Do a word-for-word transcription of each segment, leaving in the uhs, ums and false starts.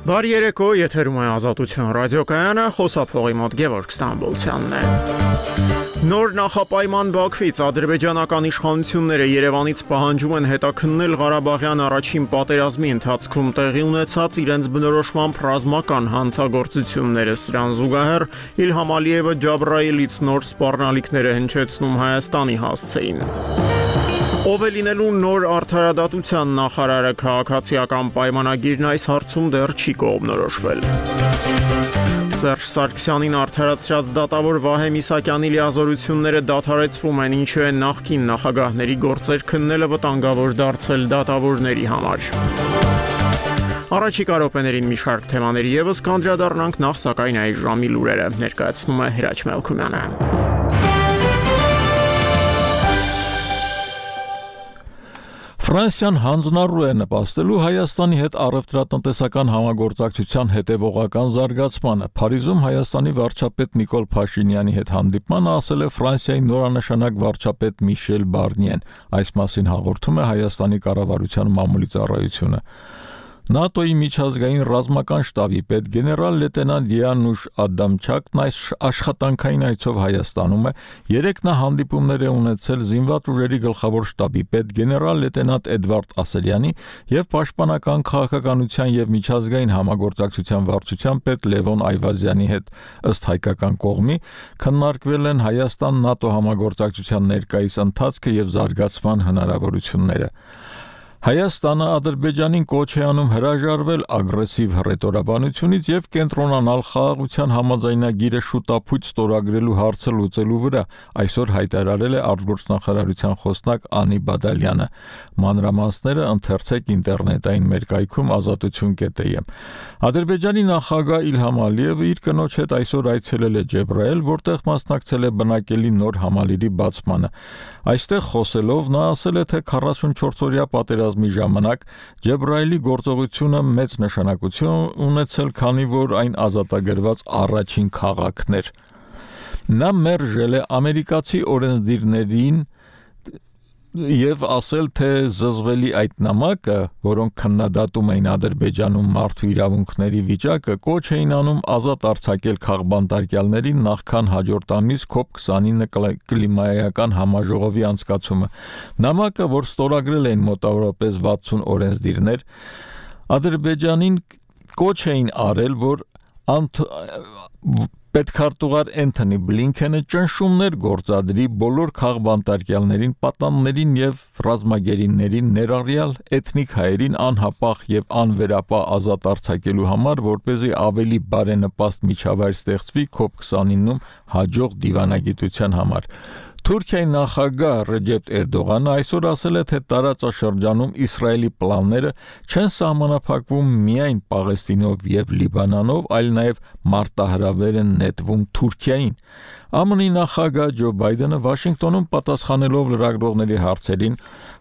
Բարի երեկո, եթերում է Ազատություն ռադիոկայանը, խոսափողի մոտ Գևորգ Ստամբոլցյանն է։ Նոր նախապայման Բաքվից ադրբեջանական իշխանությունները Երևանից պահանջում են հետաքննել Ղարաբաղյան առաջին պատերազմի ընթացքում տեղի ունեցած իրենց բնորոշմամբ ռազմական հանցագործությունները։ Սրան զուգահեռ Իլհամ Ալիևը Ջաբրայիլից նոր սպառնալիքներ է հնչեցնում Հայաստանի հասցեին։ Ով է լինելու նոր արդարադատության նախարարը, քաղաքացիական պայմանագիրն այս հարցում դեռ չի կողմնորոշվել։ Սերժ Սարգսյանին արդարացրած դատավոր Վահե Միսակյանի լիազորությունները դադարեցվում են, ինչու է նախկին նախագահների գործեր քննելը վտանգավոր դարձել դատավորների համար։ Առաջիկա րոպեներին մի շարք թեմաների ևս կանդրադառնանք, նախ սակայն այս ժամի լուրերը ներկայացնում է Հրաչ Մելքումյանը։ Ֆրանսիան հանձնառու է նպաստելու Հայաստանի հետ առևտրատնտեսական համագործակցության հետևողական զարգացմանը։ Փարիզում Հայաստանի վարչապետ Նիկոլ Փաշինյանի հետ հանդիպմանը ասել է Ֆրանսիայի նորանշանակ վարչապետ Միշել Բարնիեն։ Այս մասին հաղորդում է Հայաստանի կառավարության մամուլի ծառայությունը։ ՆԱՏՕ-ի միջազգային ռազմական շտաբի պետ գեներալ լեյտենանտ Յանուշ Ադամչակն այս աշխատանքային այցով Հայաստանում է։ Երեկ նա հանդիպումներ է ունեցել զինված ուժերի գլխավոր շտաբի պետ գեներալ լեյտենանտ Էդվարդ Ասելյանի եւ պաշտպանական քաղաքականության եւ միջազգային համագործակցության վարչության պետ Լևոն Այվազյանի հետ։ Ըստ հայկական կողմի քննարկվել են Հայաստան-ՆԱՏՕ համագործակցության ներկայիս ընթացքը եւ զարգացման հնարավորությունները։ Հայաստանը Ադրբեջանին կոչ է անում հրաժարվել ագրեսիվ հռետորաբանությունից եւ կենտրոնանալ խաղաղության համաձայնագիրը շուտապույտ ստորագրելու հարցը լուծելու վրա, այսօր հայտարարել է արտգործնախարարության խոսնակ Անի Բադալյանը։ Մանրամասները ընթերցեք ինտերնետային մերկայքում ազատություն.am։ Ադրբեջանի նախագահ Իլհամ Ալիևը իր կնոջ հետ այսօր այցելել է Ջեբրայել, որտեղ մասնակցել է բնակելի նոր համալիրի բացմանը։ Այստեղ խոսելով նա ասել է, թե քառասունչորս-օրյա պատերազմի ժամանակ Ջեբրայելի գործողությունը մեծ նշանակություն ունեցել, քանի որ այն ազատագրված առաջին քաղաքն էր։ Նա մերժել է ամերիկացի օրենսդիրներին եւ ասել, թե զզվելի այդ նամակը, որոնք քննադատում էին Ադրբեջանում մարդու իրավունքների վիճակը, կոչ էին անում ազատ արձակել քաղբանտարկյալներին նախքան հաջորդ ամիս կոպ քսանինը կլիմայական համաժողովի անցկացումը։ Նամակը, որ ստորագրել էին մոտավորապես վաթսուն օրենսդիրներ, Ադրբեջանին կոչ էին արել, որ անդ պետքարտուղար Էնթոնի Բլինքենը ճնշումներ գործադրի բոլոր քաղբանտարկյալներին, պատաններին եւ ռազմագերիներին, ներառյալ էթնիկ հայերին անհապաղ եւ անվերապահ ազատ արձակելու համար, որպեսզի ավելի բարենպաստ միջավայր ստեղծվի կոպ քսանինում հաջող դիվանագիտության համար։ Թուրքիայի նախագահ Ռեջեփ Էրդողանը այսօր ասել է, թե տարածաշրջանում Իսրայելի պլանները չեն սահմանափակվում միայն Պաղեստինով եւ Լիբանանով, այլ նաեւ մարտահրավեր են նետվում Թուրքիային։ ԱՄՆ-ի նախագահ Ջո Բայդենը Վաշինգտոնում պատասխանելով լրագրողների հարցերին,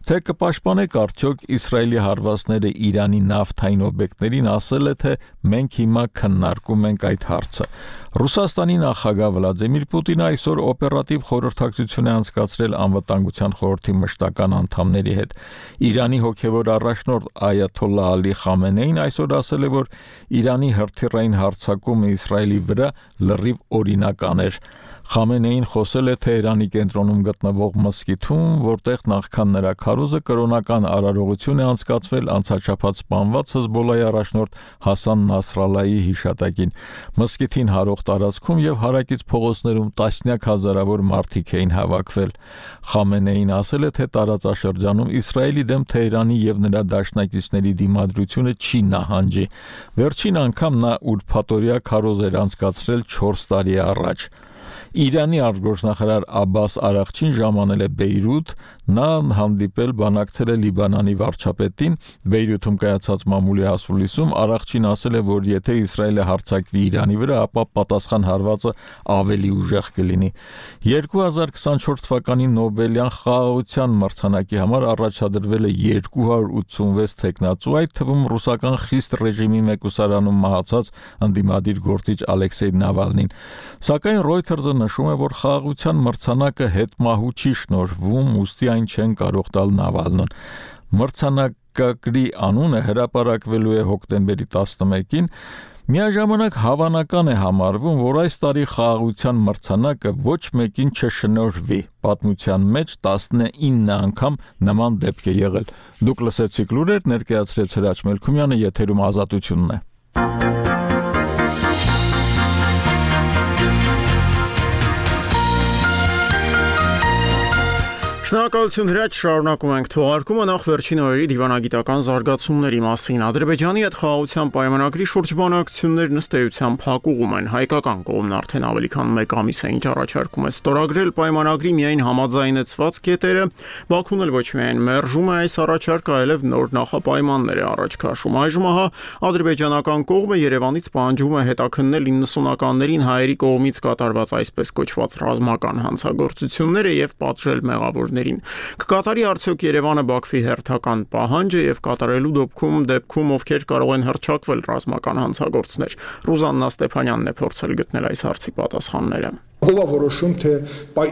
թե կպաշտպանեք արդյոք Իսրայելի հարվածները Իրանի նավթային օբյեկտներին, ասել է, թե մենք հիմա քննարկում ենք այդ հարցը։ Ռուսաստանի նախագահ Վլադիմիր Պուտինը այսօր օպերատիվ խորհրդակցություն է անցկացրել անվտանգության խորհրդի մշտական անդամների հետ։ Իրանի հոգևոր առաջնորդ Այաթոլլահ Ալի Խամենեին այսօր ասել է, որ Իրանի հրթիռային հարձակումը Իսրայելի վրա լրիվ օրինական էր։ Խամենեին խոսել է Թեհրանի կենտրոնում գտնվող մզկիթում, որտեղ նախքան նրա քարոզը կրոնական արարողություն է անցկացվել անցաչափած սպանված Հեզբոլլահի առաջնորդ Հասան Նասրալլահի հիշատակին։ Մզկիթին հարող տարածքում եւ հարակից փողոցներում տասնյակ հազարավոր մարդիկ էին հավաքվել։ Խամենեին ասել է, թե տարածաշրջանում Իսրայելի դեմ Թեհրանի եւ նրա դաշնակիցների դիմադրությունը չի նահանջի։ Վերջին անգամ նա ուրբաթօրյա քարոզ էր անցկացրել չորս տարի առաջ։ Իրանի արտգործնախարար Աբբաս Արաղչին ժամանել է Բեյրութ, նա հանդիպել բանակցել է Լիբանանի վարչապետին։ Բեյրութում կայացած մամուլի հասուլիսում Արաղչին ասել է, որ եթե Իսրայելը հարձակվի Իրանի վրա, ապա պատասխան հարվածը ավելի ուժեղ կլինի։ երկու հազար քսանչորս թվականի Նոբելյան խաղաղության մրցանակի համար առաջադրվել է երկու հարյուր ութսունվեց թեկնածու, այդ թվում ռուսական խիստ ռեժիմի մեկուսարանում մահացած ընդդիմադիր գործիչ Ալեքսեյ Նավալնին։ Սակայն Reuters-ը նշում է, որ խաղաղության մրցանակը հետմահու չի շնորհվում, ուստի այն չեն կարող տալ Նավալնուն։ Մրցանակ վիճակագրի անունը հրապարակվելու է հոկտեմբերի տասնմեկին, միաժամանակ հավանական է համարվում, որ այս տարի խաղաղության մրցանակը ոչ մեկին չշնորհվի։ Պատմության մեջ տասնինը անգամ նման դեպք է եղել։ Դուք լսեցիք լուրեր, ներկայացրեց Հրաչ Մելքումյանը, եթերում Ազատությունն է։ Շնորհակալություն Հրաչ, շարունակում ենք թողարկումը նախ վերջին օրերի դիվանագիտական զարգացումների մասին։ Ադրբեջանի հետ խաղաղության պայմանագրի շուրջ բանակցություններն ըստ էության փակուղում են։ Հայկական կողմն արդեն ավելի քան մեկ ամիս է ինչ առաջարկում է ստորագրել պայմանագրի միայն համաձայնեցված կետերը, Բաքուն էլ ոչ միայն մերժում է այս առաջարկը, այլև նոր նախապայմաններ է առաջ քաշում։ Այժմ ահա ադրբեջանական կողմը Երևանից պահանջում է հետաքննել իննսունականներին հայերի կողմից կատարված այսպես կոչված ռազմական հանցագործությունները եւ պատժել մեղավոր Կկատարի արդյոք Երևանը Բաքվի հերթական պահանջը եւ կատարելու դեպքում դեպքում ովքեր կարող են հռչակվել ռազմական հանցագործներ։ Ռուզաննա Ստեփանյանն է փորձել գտնել այս հարցի պատասխանները։ Ով է որոշում, թե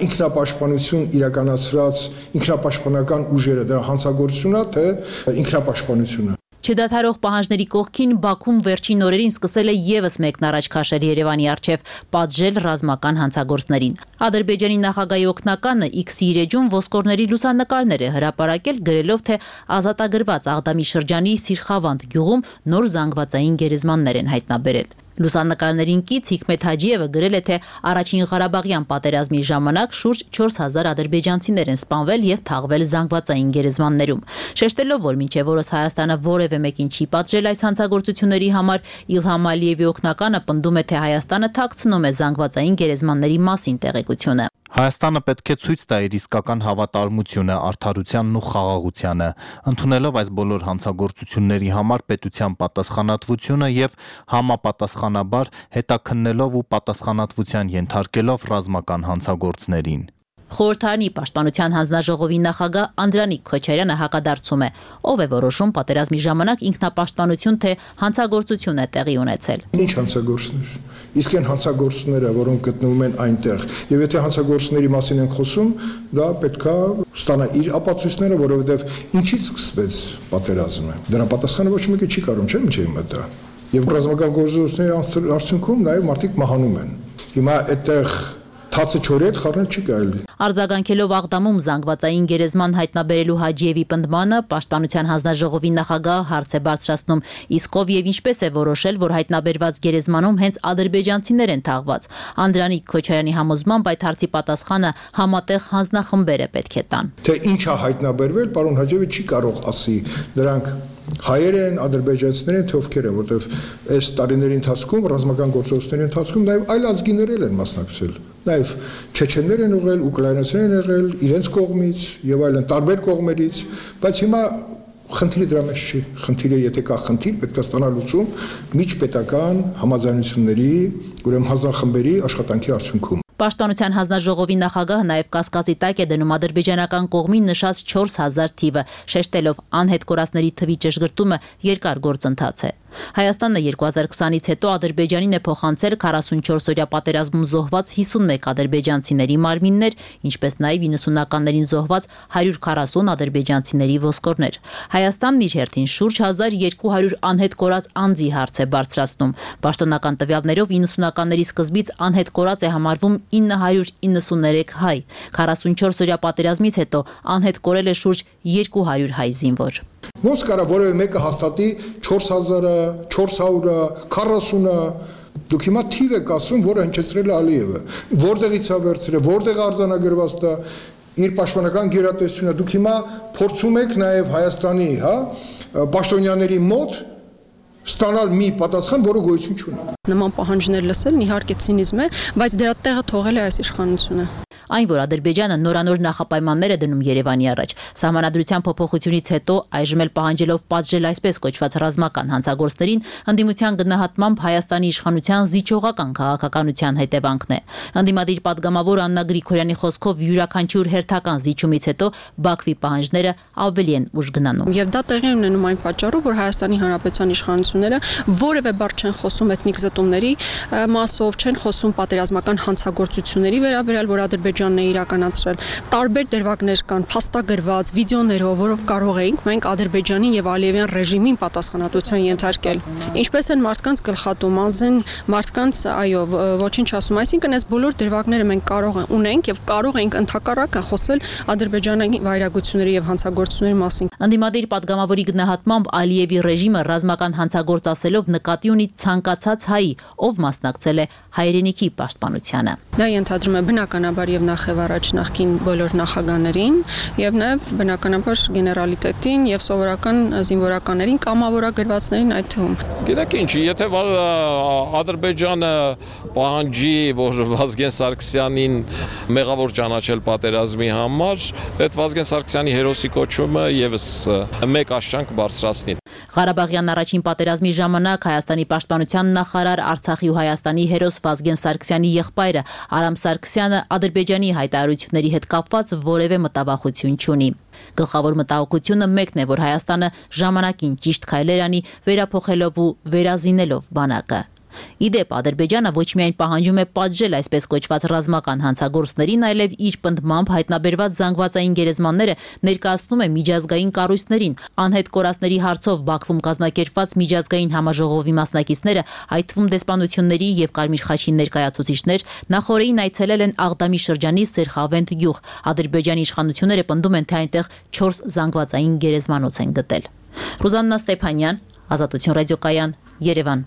ինքնապաշտպանություն իրականացրած ինքնապաշտպանական ուժերը դրա հանցագործությունն է, թե ինքնապաշտպանությունը։ Չդադարող պահանջների կողքին Բաքուն վերջին օրերին սկսել է ևս մեկն առաջ քաշել Երևանի առջև պատժել ռազմական հանցագործներին։ Ադրբեջանի նախագահի օգնականը X-ի իր էջում ոսկորների լուսանկարներ է հրապարակել, գրելով, թե ազատագրված Աղդամի շրջանի Սիրխավանդ գյուղում նոր զանգվածային գերեզմաններ են հայտնաբերել։ Լուսանկարներին կից Հիկմետ Հաջիևը գրել է, թե առաջին Ղարաբաղյան պատերազմի ժամանակ շուրջ չորս հազար ադրբեջանցիներ են սպանվել եւ թաղվել զանգվածային գերեզմաններում։ Շեշտելով, որ մինչեւ օրս Հայաստանը որևէ մեկին չի պատժել այս հանցագործությունների համար, Իլհամ Ալիևի օգնականը պնդում է, թե Հայաստանը թաքցնում է զանգվածային գերեզմանների մասին տեղեկությունը։ Հայաստանը պետք է ցույց տա իր իսկական հավատարմությունը, արդարությանն ու խաղաղությանը, ընդունելով այս բոլոր հանցագործությունների համար պետության պատասխանատվությունը եւ համապատասխանաբար հետաքննելով ու պատասխանատվության ենթարկելով ռազմական հանցագործներին։ Խորհրդարանի պաշտպանության հանձնաժողովի նախագահ Անդրանիկ Քոչարյանը հակադարձում է, ով է որոշում պատերազմի ժամանակ ինքնապաշտպանություն թե հանցագործություն է տեղի ունեցել։ Ինչ հանցագործներ։ Իսկ այն հանցագործները, որոնք գտնվում են այնտեղ, եւ եթե հանցագործների մասին ենք խոսում, դա պետքա ստանա իր ապացույցները, որովհետեւ ինչից սկսվեց պատերազմը։ Դրա պատասխանը ոչ մեկը չի կարող, չէ՞, ինչ է մտա։ Եվ ռազմական գործողությունների արդյունքում նաեւ մարդիկ մահանում են։ Հիմա այդտեղ Թացը չորի հետ խառնել չի կարելի։ Արձագանքելով Աղդամում զանգվածային գերեզման հայտնաբերելու Հաջիևի պնդմանը, պաշտպանության հանձնաժողովի նախագահը հարց է բարձրացնում, իսկ ով եւ ինչպես է որոշել, որ հայտնաբերված գերեզմանում հենց ադրբեջանցիներ են թաղված։ Անդրանիկ Քոչարյանի համոզմամբ այդ հարցի պատասխանը համատեղ հանձնախմբեր է պետք է տան։ Թե ինչ է հայտնաբերվել, պարոն Հաջիևը չի կարող ասի, դրանք հայեր են, ադրբեջանցիներ են, թե ովքեր են, որտեվ այս տարիների ընթացքում ռազմական գործողությունների ընթացքում նաև այլ ազգիներ են մասնակցել։ Նաև չեչեններ են եղել, ուկրաինացիներ են եղել, իրենց կողմից եւ այլն տարբեր կողմերից, բայց հիմա խնդիրը դրա մեջ չի։ Խնդիրը, եթե կա խնդիր, պետք է ստանալ լուծում միջպետական համաձայնությունների, ուրեմն հանձնախմբերի աշխատանքի արդյունքում։ Պաշտպանության հանձնաժողովի նախագահը նաև կասկածի տակ է դնում ադրբեջանական կողմին նշած չորս հազար թիվը, շեշտելով անհետ կորածների թվի ճշգրտումը երկար գործընթաց է։ Հայաստանը երկու հազար քսանից հետո Ադրբեջանին է փոխանցել քառասունչորս օրյա պատերազմում զոհված հիսունմեկ ադրբեջանցիների մարմիններ, ինչպես նաև իննսունականներին զոհված հարյուր քառասուն ադրբեջանցիների ոսկորներ։ Հայաստանն իր հերթին շուրջ հազար երկու հարյուր անհետ կորած անձի հարց է բարձրացնում։ Պաշտոնական տվյալներով իննսունականների սկզբից անհետ կորած է համարվում ինը հարյուր իննսուններեք հայ։ քառասունչորս օրյա պատերազմից հետո անհետ կորել է շուրջ երկու հարյուր հայ զինվոր։ Ոնց կարա որևէ մեկը հաստատի չորս հազարը, չորս հարյուրը, քառասունը, դուք հիմա թիվ եք ասում, որը հնչեցրել է Ալիևը, որտեղից է վերցրել, որտեղ արձանագրված դա իր պաշտպանական գերատեսչությունը, դուք հիմա փորձում եք նաև Հայաստանի, հա, պաշտոնյաների մոտ ստանալ մի պատասխան, որը գոյություն չունի։ Նման պահանջներ լսելն իհարկե ցինիզմ է, բայց դրա տեղը թողել է այս իշխանությունը։ Այն, որ Ադրբեջանը նորանոր նախապայմաններ է դնում Երևանի առաջ, սահմանադրության փոփոխությունից հետո այժմ էլ պահանջելով պատժել այսպես կոչված ռազմական հանցագործներին, ընդդիմության գնահատմամբ Հայաստանի իշխանության զիջողական քաղաքականության հետևանքն է։ Ընդդիմադիր падգամավոր Աննա Գրիգորյանի խոսքով յուրաքանչյուր հերթական զիջումից հետո Բաքվի պահանջները ավելի են ուժ գնանում։ Եվ դա տեղի ունենում այն պատճառով, որ Հայաստանի Հանրապետության իշխանությունները որևէ բառ չեն խոսում էթնիկ զտումների մասով, չեն խոսում պատերազմական հանցագործությունների վերաբերյալ, որ Ադրբեջանը Ադրբեջանն է իրականացրել։ Տարբեր դրվագներ կան, փաստագրված վիդեոներով, որով կարող էինք մենք Ադրբեջանին եւ Ալիևյան ռեժիմին պատասխանատվության ենթարկել։ Ինչպես են մարդկանց գլխատում, անզեն մարդկանց, այո, ոչինչ ասում, այսինքն այս բոլոր դրվագները մենք կարող ունենք եւ կարող ենք ընդհակառակը խոսել Ադրբեջանի վայրագությունների եւ հանցագործությունների մասին։ Անդիմադիր պատգամավորի գնահատմամբ Ալիևի ռեժիմը ռազմական հանցագործ ասելով նկատի ունի ցանկացած հայի, ով մասնակցել է հայրենիքի պաշտպանությանը։ Դա ենթադրում է բնականաբար եւ նախև առաջ նախկին բոլոր նախագահներին եւ նաեւ բնականաբար գեներալիտետին եւ սովորական զինվորականներին, կամավորագրվածներին այդ թվում։ Գիտեք ինչ, եթե Ադրբեջանը պահանջի, որ Վազգեն Սարգսյանին մեղավոր ճանաչել պատերազմի համար, այդ Վազգեն Սարգսյանի հերոսի կոչումը եւս մեկ աշճան կբարձրացնի։ Ղարաբաղյան առաջին պատերազմի ժամանակ Հայաստանի պաշտպանության նախարար Արցախի ու Հայաստանի հերոս Վազգեն Սարգսյանի եղբայրը Արամ Սարգսյանը Ադրբեջանի հայտարարությունների հետ կապված որևէ մտավախություն չունի։ Գլխավոր մտահոգությունը մեկն է, որ Հայաստանը ժամանակին ճիշտ քայլեր անի, վերափոխելով ու վերազինելով բանակը։ Իդեպ Ադրբեջանը ոչ միայն պահանջում է պատժել այսպես կոչված ռազմական հանցագործներին, այլև իր պնդմամբ հայտնաբերված զանգվածային գերեզմանները ներկայացնում է միջազգային կառույցներին։ Անհետ կորածների հարցով Բաքվում կազմակերպված միջազգային համաժողովի մասնակիցները, այդ թվում դեսպանությունների եւ Կարմիր խաչի ներկայացուցիչներ, նախորդին այցելել են Աղդամի շրջանի Սերխավենթ գյուղ։ Ադրբեջանի իշխանությունները պնդում են, թե այնտեղ չորս զանգվածային գերեզմանոց են գտել։ Ռուզաննա Ստեփանյան, Ազատություն ռադիոկայան, Երևան։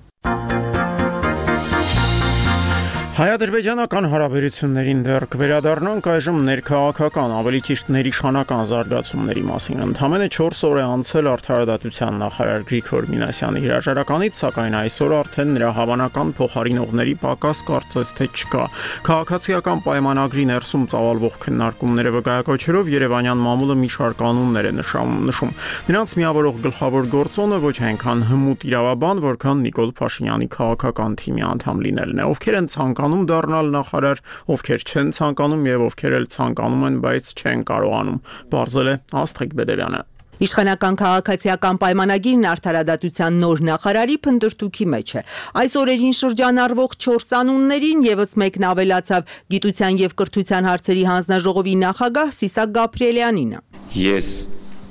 Հայ-ադրբեջանական հարաբերություններին դեռ կվերադառնանք այժմ ներքաղաքական, ավելի ճիշտ ներիշխանական զարգացումների մասին։ Ընդամենը չորս օր է անցել արդարադատության նախարար Գրիգոր Մինասյանի հրաժարականից, սակայն այսօր արդեն նրա հավանական փոխարինողների պակաս կարծես թե չկա։ Քաղաքացիական պայմանագրի ներսում ծավալվող քննարկումները վկայակոչելով Երևանյան մամուլը մի շարք անուններ է նշում։ Նրանց միավորող գլխավոր գործոնը ոչ այնքան հմուտ իրավաբան, որքան Նիկոլ Փաշինյանի քաղաքական թիմի անդամ լինելն է։ Ովքեր են ցանկանում դառնալ նախարար, ովքեր չեն ցանկանում եւ ովքեր էլ ցանկանում են, բայց չեն կարողանում, բարձել է Աստղիկ Բեդևյանը։ Իշխանական քաղաքացիական պայմանագիրն արդարադատության նոր նախարարի փնտրտուքի մեջ է։ Այս օրերին շրջանառվող չորս անուններին եւս մեկն ավելացավ գիտության եւ կրթության հարցերի հանձնաժողովի նախագահ Սիսակ Գաբրիելյանինը։ Ես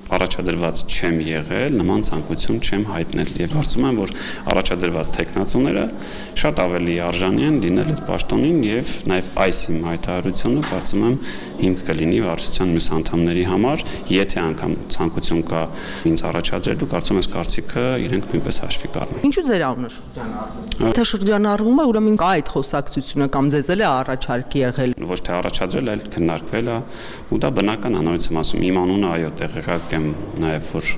առաջադրված չեմ եղել, նման ցանկություն չեմ հայտնել եւ կարծում եմ, որ առաջադրված տեխնացուները շատ ավելի արժանի են լինել այդ պաշտոնին եւ նաեւ այս իմ հայտարարությունը կարծում եմ հիմք կլինի վարչության մյուս անդամների համար, եթե անգամ ցանկություն կա ինձ առաջադրելու, կարծում եմ այս կարծիքը իրենք նույնպես հաշվի կառնեն։ Ինչու ձեր անունը շրջանառվում է։ Թե շրջանառվում է, ուրեմն կա այդ խոսակցությունը կամ ձեզ էլ է առաջարկ եղել։ Ոչ թե առաջադրել, այլ քննարկվել է ու դա բնական անորից եմ ասում, իմ անունը այո տեղեկակ նաև որ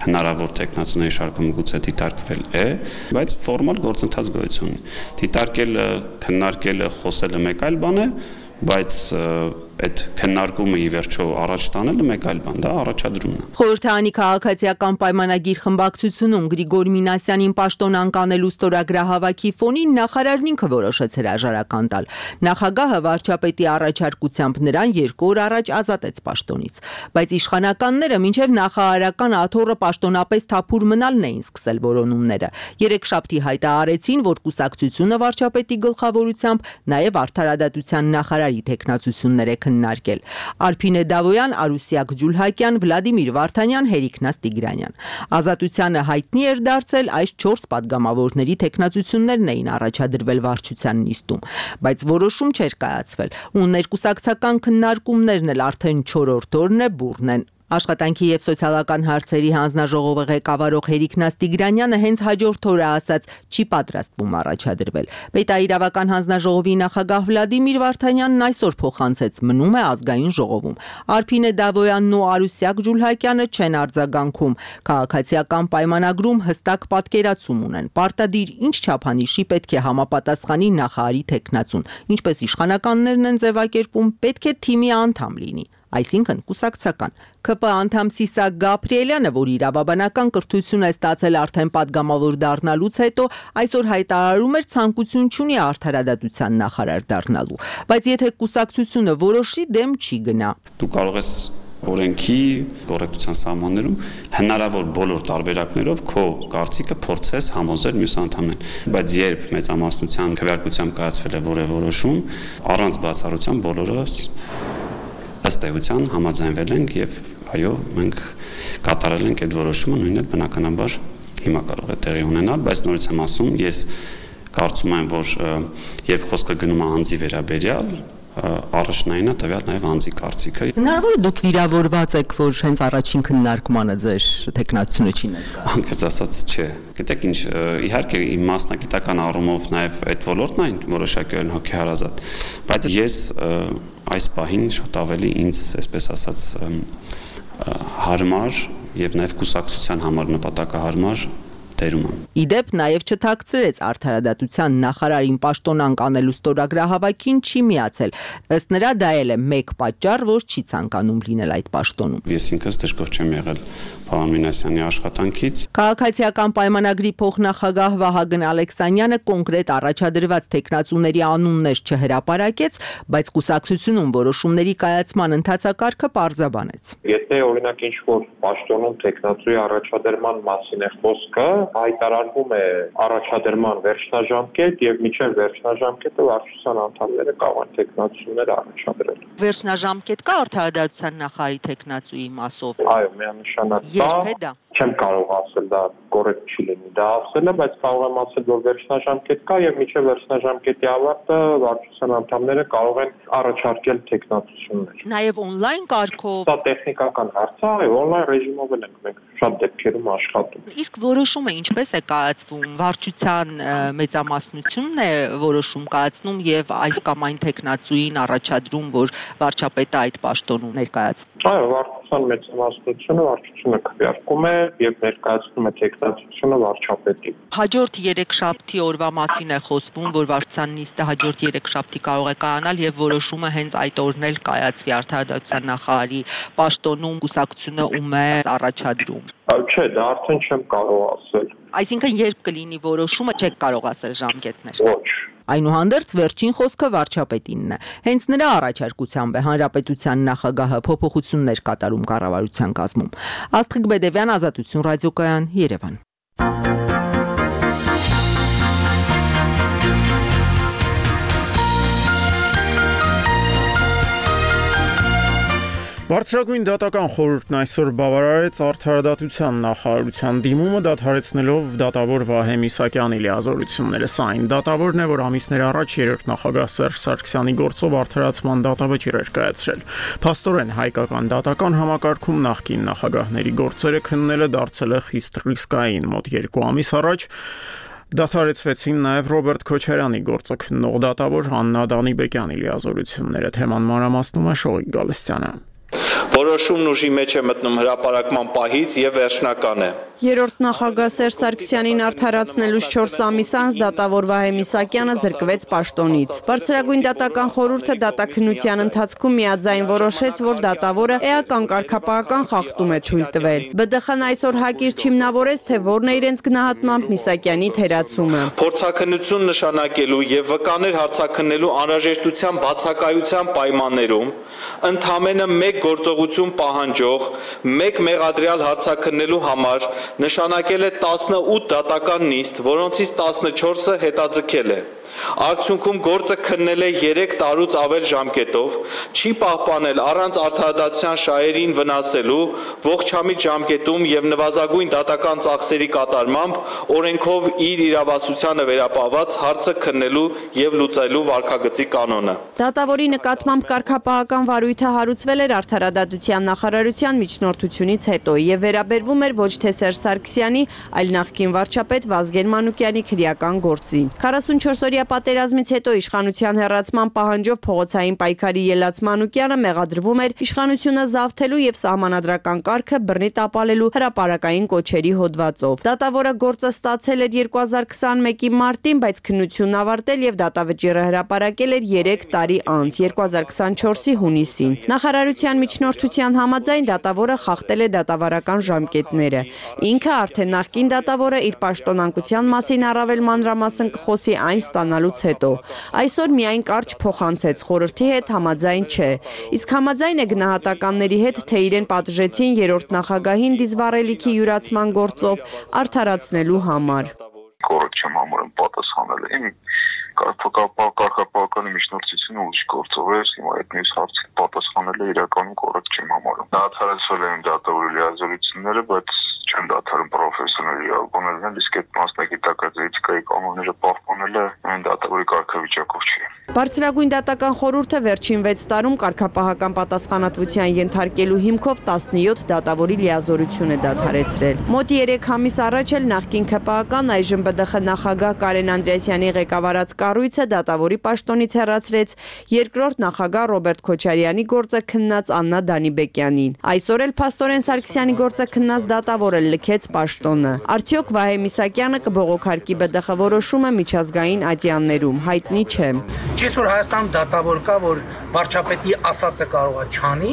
հնարավոր տեխնացուների շարքում գուցե դիտարկվել է, բայց ֆորմալ գործընթաց գոյություն ունի։ Դիտարկելը, քննարկելը, խոսելը մեկ այլ բան է, բայց այդ քննարկումը ի վերջո առաջ տանելը մեկ այլ բան, դա առաջադրումն է։ Խորհրդարանի քաղաքացիական պայմանագիր խմբակցությունում Գրիգոր Մինասյանին պաշտոն անկանելու ստորագրահավաքի ֆոնին նախարարն ինքը որոշեց հրաժարական տալ։ Նախագահը վարչապետի առաջարկությամբ նրան երկու օր առաջ ազատեց պաշտոնից, բայց իշխանականները մինչև նախարարական աթոռը պաշտոնապես թափուր մնալն էին սկսել որոնումները։ Երեքշաբթի հայտարարեցին, որ կուսակցությունը վարչապետի գլխավորությամբ նաև արդարադատության նախարարի տեխնացություններ է քննարկել։ Արփինե Դավոյան, Արուսյակ Ջուլհակյան, Վլադիմիր Վարդանյան, Հերիքնաս Տիգրանյան։ Ազատությանը հայտնի էր դարձել այս չորս падգամավորների տեխնացություններն էին առաջադրվել վարչության նիստում, բայց որոշում չէր կայացվել, ու ներկուսակցական քննարկումներն էլ արդեն չորրորդ օրն է բուռն են։ Աշխատանքի եւ սոցիալական հարցերի հանձնաժողովը ղեկավարող Հերիքնաս Տիգրանյանը հենց հաջորդ օրը ասաց չի պատրաստվում առաջադրվել։ Պետաիրավական հանձնաժողովի նախագահ Վլադիմիր Վարդանյանն այսօր փոխանցեց, մնում է ազգային ժողովում։ Արփինե Դավոյանն ու Արուսյակ Ջուլհակյանը չեն արձագանքում։ Քաղաքացիական պայմանագրում հստակ պատկերացում ունեն։ Պարտադիր ինչ չափանիշի պետք է համապատասխանի նախարարի տեխնացուն, ինչպես իշխանականներն են ձևակերպում, պետք է թիմի անդամ լինի, այսինքն կուսակցական։ ՔՊ անդամ Սիսակ Գաբրիելյանը, որ իրավաբանական կրթություն է ստացել արդեն падգամավոր դառնալուց հետո, այսօր հայտարարում էր ցանկություն չունի արդարադատության նախարար դառնալու, բայց եթե կուսակցությունը որոշի, դեմ չի գնա։ Դու կարող ես օրենքի կոռեկտության սահմաններում հնարավոր բոլոր տարբերակներով քո կարծիքը փորձես համոզել մյուս անդամներին։ Բայց երբ մեծամասնության քվեարկությամբ կայացվել է որևէ որոշում, առանց բացառության բոլորը ըստ էության համաձայնվել ենք եւ այո, մենք կատարել ենք այդ որոշումը, նույնն էլ բնականաբար հիմա կարող է տեղի ունենալ, բայց նորից եմ ասում, ես կարծում եմ, որ երբ խոսքը գնում է անձի վերաբերյալ, առաջնայինը տվյալ նաև անձի կարծիքը։ Հնարավոր է դուք վիրավորված եք, որ հենց առաջին քննարկմանը ձեր տեխնացությունը չի ներկա։ Անկեղծ ասած, չէ։ Գիտեք ինչ, իհարկե իմ մասնագիտական առումով նաև այդ ոլորտն այն որոշակիորեն հոգեհարազատ, բայց ես այս պահին շատ ավելի ինձ, այսպես ասած, հարմար եւ նաև կուսակցության համար նպատակահարմար տերում եմ։ Իդեպ նաև չթաքցրեց արդարադատության նախարարին պաշտոնանկ անելու ստորագրահավաքին չի միացել։ Ըստ նրա դա էլ է մեկ պատճառ, որ չի ցանկանում լինել այդ պաշտոնում։ Ես ինքս դժգոհ չեմ եղել Պարոն Մինասյանի աշխատանքից։ Քաղաքացիական պայմանագրի փոխնախագահ Վահագն Ալեքսանյանը կոնկրետ առաջադրված տեխնացուների անուններ չհրապարակեց, բայց կուսակցությունում որոշումների կայացման ընթացակարգը պարզաբանեց։ Եթե օրինակ ինչ-որ պաշտոնում տեխնացուի առաջադրման մասին է խոսքը, հայտարարվում է առաջադրման վերջնաժամկետ եւ միջև վերջնաժամկետը վարչության անդամները կարող են տեխնացուներ առաջադրել։ Վերջնաժամկետ կա արդարադատության նախարարի տեխնացուի մասով։ Այո, միանշանակ կա։ Երբ է դա։ Չեմ կարող ասել դա կոռեկտ չի լինի դա ասելը, բայց կարող եմ ասել, որ վերջնաժամկետ կա եւ միջև վերջնաժամկետի ավարտը վարչության անդամները կարող են առաջարկել տեխնացություններ։ Նաեւ on-line կարգով։ Դա տեխնիկական հարց է, այո, on-line ռեժիմով ենք մենք շատ դեպքերում աշխատում։ Իսկ որոշումը ինչպես է կայացվում, վարչության մեծամասնությունն է որոշում կայացնում եւ այս կամ այն տեխնացուին առաջադրում, որ վարչապետը այդ պաշտոնում ներկայացվում։ Այո, վարչության մեծամասնությունը վարչությունը քվեարկում է եւ ներկայացնում է տեխնացությունը վարչապետին։ Հաջորդ երեքշաբթի օրվա մասին է խոսվում, որ վարչության նիստը հաջորդ երեքշաբթի կարող է կայանալ եւ որոշումը հենց այդ օրն էլ կայացվի արդարադատության նախարարի պաշտոնում կուսակցությունը ում է առաջադրում։ Չէ, դա արդեն չեմ կարող ասել։ Այսինքն երբ կլինի որոշումը, չեք կարող ասել ժամկետներ։ Ոչ։ Այնուհանդերձ վերջին խոսքը վարչապետինն է։ Հենց նրա առաջարկությամբ է հանրապետության նախագահը փոփոխություններ կատարում կառավարության կազմում։ Աստղիկ Բեդևյան, Ազատություն ռադիոկայան, Երևան։ Բարձրագույն դատական խորհուրդն այսօր բավարարեց արդարադատության նախարարության դիմումը դադարեցնելով դատավոր Վահե Միսակյանի լիազորությունները։ Սա այն դատավորն է, որ ամիսներ առաջ երրորդ նախագահ Սերժ Սարգսյանի գործով արդարացման դատավճիռ էր կայացրել։ Փաստորեն հայկական դատական համակարգում նախկին նախագահների գործերը քննելը դարձել է խիստ ռիսկային։ Մոտ երկու ամիս առաջ դադարեցվեցին նաև Ռոբերտ Քոչարյանի գործը քննող դատավոր Աննա Դանիբեկյանի լիազորությունները։ Թեման մանրամասնում է Շողիկ Գալստյանը։ Որոշումն ուժի մեջ է մտնում հրապարակման պահից եւ վերջնական է։ Երրորդ նախագահ Սերժ Սարգսյանին արդարացնելուց չորս ամիս անց դատավոր Վահե Միսակյանը զրկվեց պաշտոնից։ Բարձրագույն դատական խորհուրդը դատաքննության ընթացքում միաձայն որոշեց, որ դատավորը էական կարգապահական խախտում է թույլ տվել։ Բ Դխ Ն այսօր հակիրճ հիմնավորեց, թե որն է իրենց գնահատմամբ Միսակյանի թերացումը։ Փորձաքննություն նշանակելու եւ վկաներ հարցաքննելու անհրաժեշտության բացակայության պայմաններում ընդամենը մեկ գործողություն պահանջող մեկ մեղադրյալ հարցաքննելու համար նշանակել է տասնութ դատական նիստ, որոնցից տասնչորսը հետաձգել է։ Արդյունքում գործը քննել է երեք տարուց ավել ժամկետով, չի պահպանել առանց արդարադատության շահերին վնասելու ողջամիտ ժամկետում եւ նվազագույն դատական ծախսերի կատարմամբ օրենքով իր իրավասությանը վերապահված հարցը քննելու եւ լուծելու վարքագծի կանոնը։ Դատավորի նկատմամբ կարգապահական վարույթը հարուցվել էր արդարադատության նախարարության միջնորդությունից հետո եւ վերաբերվում էր ոչ թե Սերժ Սարգսյանի, այլ նախկին վարչապետ Վազգեն Մանուկյանի քրեական գործին։ քառասունչորս օրյա պատերազմից հետո իշխանության հեռացման պահանջով փողոցային պայքարի ելած Մանուկյանը մեղադրվում էր իշխանությունը զավթելու եւ սահմանադրական կարգը բռնի տապալելու հրապարակային կոչերի հոդվածով։ Դատավորը գործը ստացել էր երկու հազար քսաներկու մարտին, բայց քննությունն ավարտել եւ դատավճիռը հրապարակել էր երեք տարի անց, երկու հազար քսանչորսի հունիսին։ Նախարարության միջնորդության համաձայն դատավորը խախտել է դատավարական ժամկետները։ Ինքը արդեն նախկին դատավորը իր պաշտոնանկության մասին առավել մանրամասն կխոսի այն ստանալու ստանալուց հետո։ Այսօր միայն կարճ փոխանցեց, խորհրդի հետ համաձայն չէ։ Իսկ համաձայն է գնահատականների հետ, թե իրեն պատժեցին երրորդ նախագահին դիզվառելիքի յուրացման գործով արդարացնելու համար։ Կոռեկտ չեմ համարում պատասխանելը։ Իմ կարգապահական միջնորդությունը ուրիշ գործով է, հիմա այդ մյուս հարցին պատասխանելը իրականում կոռեկտ չեմ համարում։ Դադարեցվել են դատավորի լիազորությունները, բայց չեն դադարում պրոֆեսիոնալ իրավաբանելն, իսկ այդ մասնագիտական էթիկայի կանոնները պահպանելը այն դատավորի կարգավիճակով չի։ Բարձրագույն դատական խորհուրդը վերջին վեց տարում կարգապահական պատասխանատվության ենթարկելու հիմքով տասնյոթ դատավորի լիազորություն է դադարեցրել։ Մոտ երեք ամիս առաջ էլ նախկին ՔՊԱ-կան այժմ ԲԴԽ նախագահ Կարեն Անդրեասյանի ղեկավարած կառույցը դատավորի պաշտոնից հեռացրեց երկրորդ նախագահ Ռոբերտ Քոչարյանի գործը քննած Աննա Դանիբեկյանին։ Այսօր էլ Փաստորեն Սարգսյանի գործը քննած դատավորը լքեց պաշտոնը։ Արդյոք Վահե Միսակյանը կբողոքարկի ԲԴԽ որոշումը միջազգային ատյաններում, հայտնի չէ։ Չէ՞ որ Հայաստանում դատավոր կա, որ վարչապետի ասածը կարող է չանի։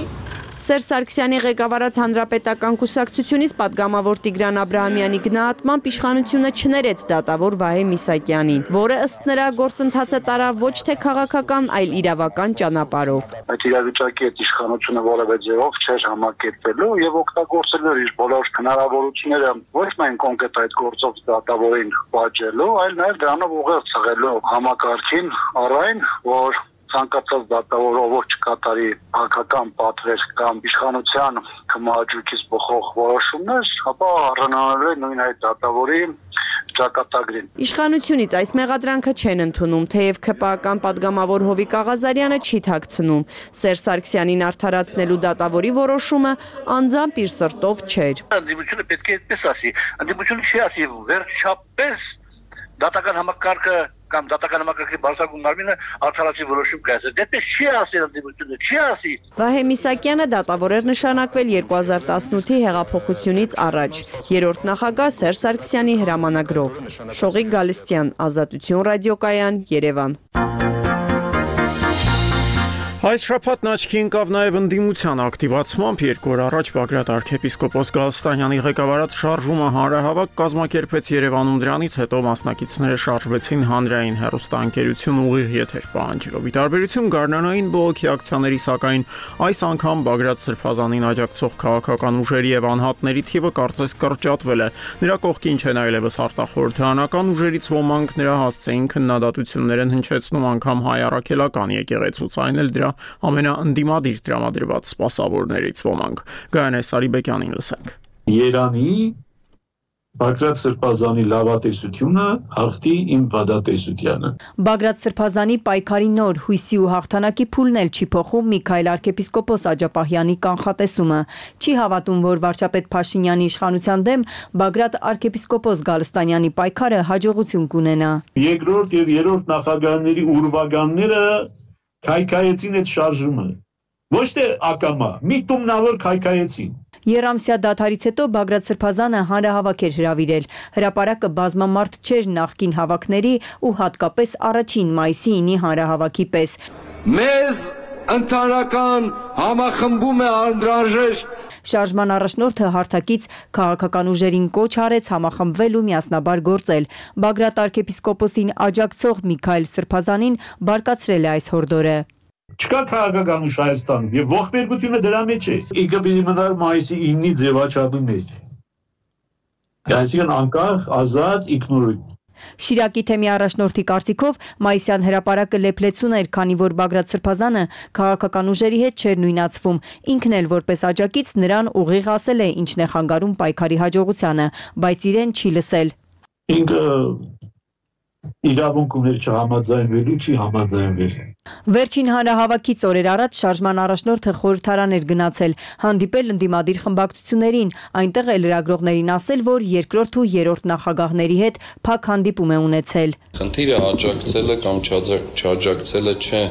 Սերժ Սարգսյանի ղեկավարած հանրապետական կուսակցությունից պատգամավոր Տիգրան Աբրահամյանի գնահատմամբ իշխանությունը չներեց դատավոր Վահե Միսակյանին, որը ըստ նրա գործընթացը տարավ ոչ թե քաղաքական, այլ իրավական ճանապարհով։ Այդ իրավիճակի հետ իշխանությունը որևէ ձևով չէր համակերպելու եւ օգտագործելու էր իր բոլոր հնարավորությունները ոչ միայն կոնկրետ այդ գործով դատավորին պատժելու, այլ նաեւ դրանով ուղղել ցղելու համակարգին առայն, որ ցանկացած դատավորով որ չկատարի հակական պատվեր կամ իշխանության կմահաճույքից բխող որոշումներ, ապա առանձնանալու է նույն այդ դատավորի ճակատագրին։ Իշխանությունից այս մեղադրանքը չեն ընդունում, թեև ՔՊԱ-կան պատգամավոր Հովիկ Աղազարյանը չի թաքցնում։ Սերժ Սարգսյանին արդարացնելու դատավորի որոշումը անձամբ իր սրտով չէր։ Ընդդիմությունը պետք է այդպես ասի, ընդդիմությունը չի ասի վերջապես դատական համակարգը կամ դատական համակարգի բարձրագույն մարմինը արդարացի որոշում կայացրել։ Դեպս չի ասել ընդդիմությունը, չի ասի։ Վահե Միսակյանը դատավոր էր նշանակվել երկու հազար տասնութի հեղափոխությունից առաջ, երրորդ նախագահ Սերժ Սարգսյանի հրամանագրով։ Շողիկ Գալստյան, Ազատություն ռադիոկայան, Երևան։ Այս շաբաթն աչքի ընկավ նաև ընդդիմության ակտիվացմամբ երկու օր առաջ Բագրատ arczepiskopos Գալստանյանի ղեկավարած շարժումը հանրահավաք կազմակերպեց Երևանում, դրանից հետո մասնակիցները շարժվեցին հանրային հեռուստաընկերություն ուղիղ եթեր պահանջելով։ Ի տարբերություն գարնանային բողոքի ակցիաների, սակայն այս անգամ Բագրատ Սրբազանին աջակցող քաղաքական ուժերի եւ անհատների թիվը կարծես կրճատվել է։ Նրա կողքին չեն այլևս արտախորհրդանական ուժերից ոմանք նրա հասցեին քննադատություններ են հնչեցնում անգամ հայ առաքելական եկեղեցուց, այն էլ դրա ամենաընդդիմադիր տրամադրված սպասավորներից ոմանք։ Գայանե Սարիբեկյանին լսենք։ Երանի Բագրատ Սրբազանի լավատեսությունը հաղթի իմ վադատեսությանը։ Բագրատ Սրբազանի պայքարի նոր հույսի ու հաղթանակի փուլն էլ չի փոխում Միքայել arczepiskopos Աջապահյանի կանխատեսումը։ Չի հավատում, որ վարչապետ Փաշինյանի իշխանության դեմ Բագրատ arczepiskopos Գալստանյանի պայքարը հաջողություն կունենա։ Երկրորդ եւ երրորդ նախագահների ուրվագանները քայքայեցին այդ շարժումը։ Ոչ թե ակամա, միտումնավոր քայքայեցին։ Երամսյա դադարից հետո Բագրատ Սրբազանը հանրահավաք էր հրավիրել։ Հրապարակը բազմամարդ չէր նախկին հավաքների ու հատկապես առաջին մայիսի ինի հանրահավաքի պես։ Մեզ ընդհանրական համախմբում է անհրաժեշտ։ Շարժման առաջնորդը հարթակից քաղաքական ուժերին կոչ արեց համախմբվել ու միասնաբար գործել։ Բագրատ arczepiskoposին աջակցող Միքայել Սրբազանին բարկացրել է այս հորդորը։ Չկա քաղաքական ուժ Հայաստանում եւ ողբերգությունը դրա մեջ է։ Ինքը պիտի մնար մայիսի իննի ձևաչափի մեջ։ Այսինքն անկախ, ազատ, ինքնուրույն։ Շիրակի թեմի առաջնորդի կարծիքով մայիսյան հրապարակը լեփլեցուն էր, քանի որ Բագրատ Սրբազանը քաղաքական ուժերի հետ չէր նույնացվում։ Ինքն էլ որպես աջակից նրան ուղիղ ասել է ինչն է խանգարում պայքարի հաջողությանը, բայց իրեն չի լսել։ Ինքը իրավունք ուներ չհամաձայնվելու, չի համաձայնվել։ Վերջին հանրահավաքից օրեր առաջ շարժման առաջնորդը խորհրդարան էր գնացել, հանդիպել ընդդիմադիր խմբակցություններին, այնտեղ էլ լրագրողներին ասել, որ երկրորդ ու երրորդ նախագահների հետ փակ հանդիպում է ունեցել։ Խնդիրը աջակցելը կամ չաջակցելը չէ։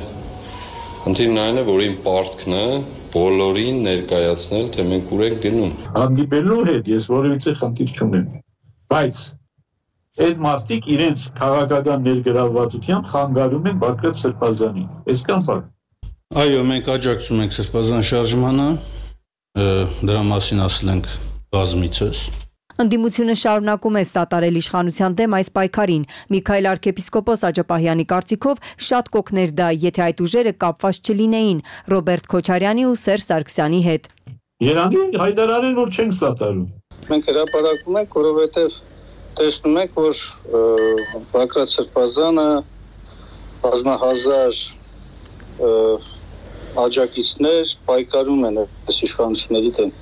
Խնդիրն այն է, որ իմ պարտքն է բոլորին ներկայացնել, թե մենք ուր ենք գնում։ Հանդիպելու հետ ես որևիցե խնդիր չունեմ, բայց այդ մարդիկ իրենց քաղաքական ներգրավվածությամբ խանգարում են Բագրատ Սրբազանին։ Այսքան բան։ Այո, մենք աջակցում ենք Սրբազան շարժմանը, դրա մասին ասել ենք բազմիցս։ Ընդդիմությունը շարունակում է սատարել իշխանության դեմ այս պայքարին։ Միքայել arczepiskopos Աջապահյանի կարծիքով շատ կօգներ դա, եթե այդ ուժերը կապված չլինեին Ռոբերտ Քոչարյանի ու Սերժ Սարգսյանի հետ։ Երանի հայտարարեն, որ չենք սատարում։ Մենք հրապարակում ենք, որովհետև տեսնում ենք, որ Բագրատ Սրբազանը բազմահազար աջակիցներ պայքարում են այս իշխանությունների դեմ։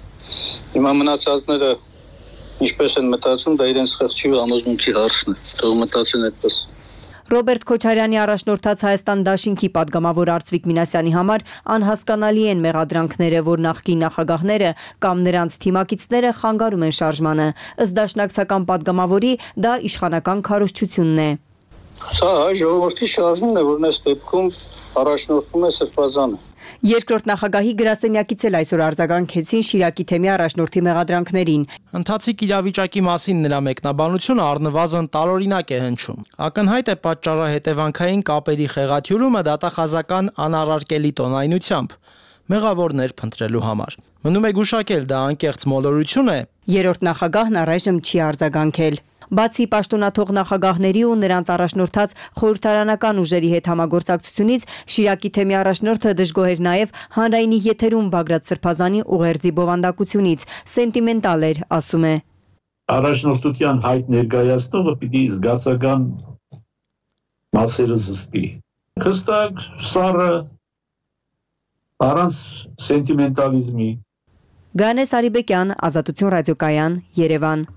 Հիմա մնացածները ինչպես են մտածում, դա իրենց խղճի ու համոզմունքի հարցն է։ Թող մտածեն այդպես։ Ռոբերտ Քոչարյանի առաջնորդած Հայաստան դաշինքի падգամավոր Արծվիկ Մինասյանի համար անհասկանալի են մեղադրանքները, որ նախկին նախագահները կամ նրանց թիմակիցները խանգարում են շարժմանը։ Ըստ դաշնակցական падգամավորի դա իշխանական քարոզչությունն է։ Սա հայ ժողովրդի շարժումն է, որն այս դեպքում առաջնորդում է Սրբազանը։ Երկրորդ նախագահի գրասենյակից էլ այսօր արձագանքեցին Շիրակի թեմի առաջնորդի մեղադրանքներին։ Ընթացիկ իրավիճակի մասին նրա մեկնաբանությունը առնվազն տարօրինակ է հնչում։ Ակնհայտ է պատճառահետևանքային կապերի խեղաթյուրումը դատախազական անառարկելի տոնայնությամբ մեղավորներ փնտրելու համար։ Մնում է գուշակել, դա անկեղծ մոլորություն է։ Երրորդ նախագահն առայժմ չի արձագանքել։ Բացի պաշտոնաթող նախագահների ու նրանց առաջնորդած խորհրդարանական ուժերի հետ համագործակցությունից Շիրակի թեմի առաջնորդը դժգոհ էր նաև հանրայինի եթերում Բագրատ Սրբազանի ուղերձի բովանդակությունից, սենտիմենտալ էր, ասում է։ Առաջնորդության հայտ ներկայացնողը պիտի զգացական մասերը զսպի։ Հստակ, սառը, առանց սենտիմենտալիզմի։ Գանես Արիբեկյան, Ազատություն ռադիոկայան, Երևան։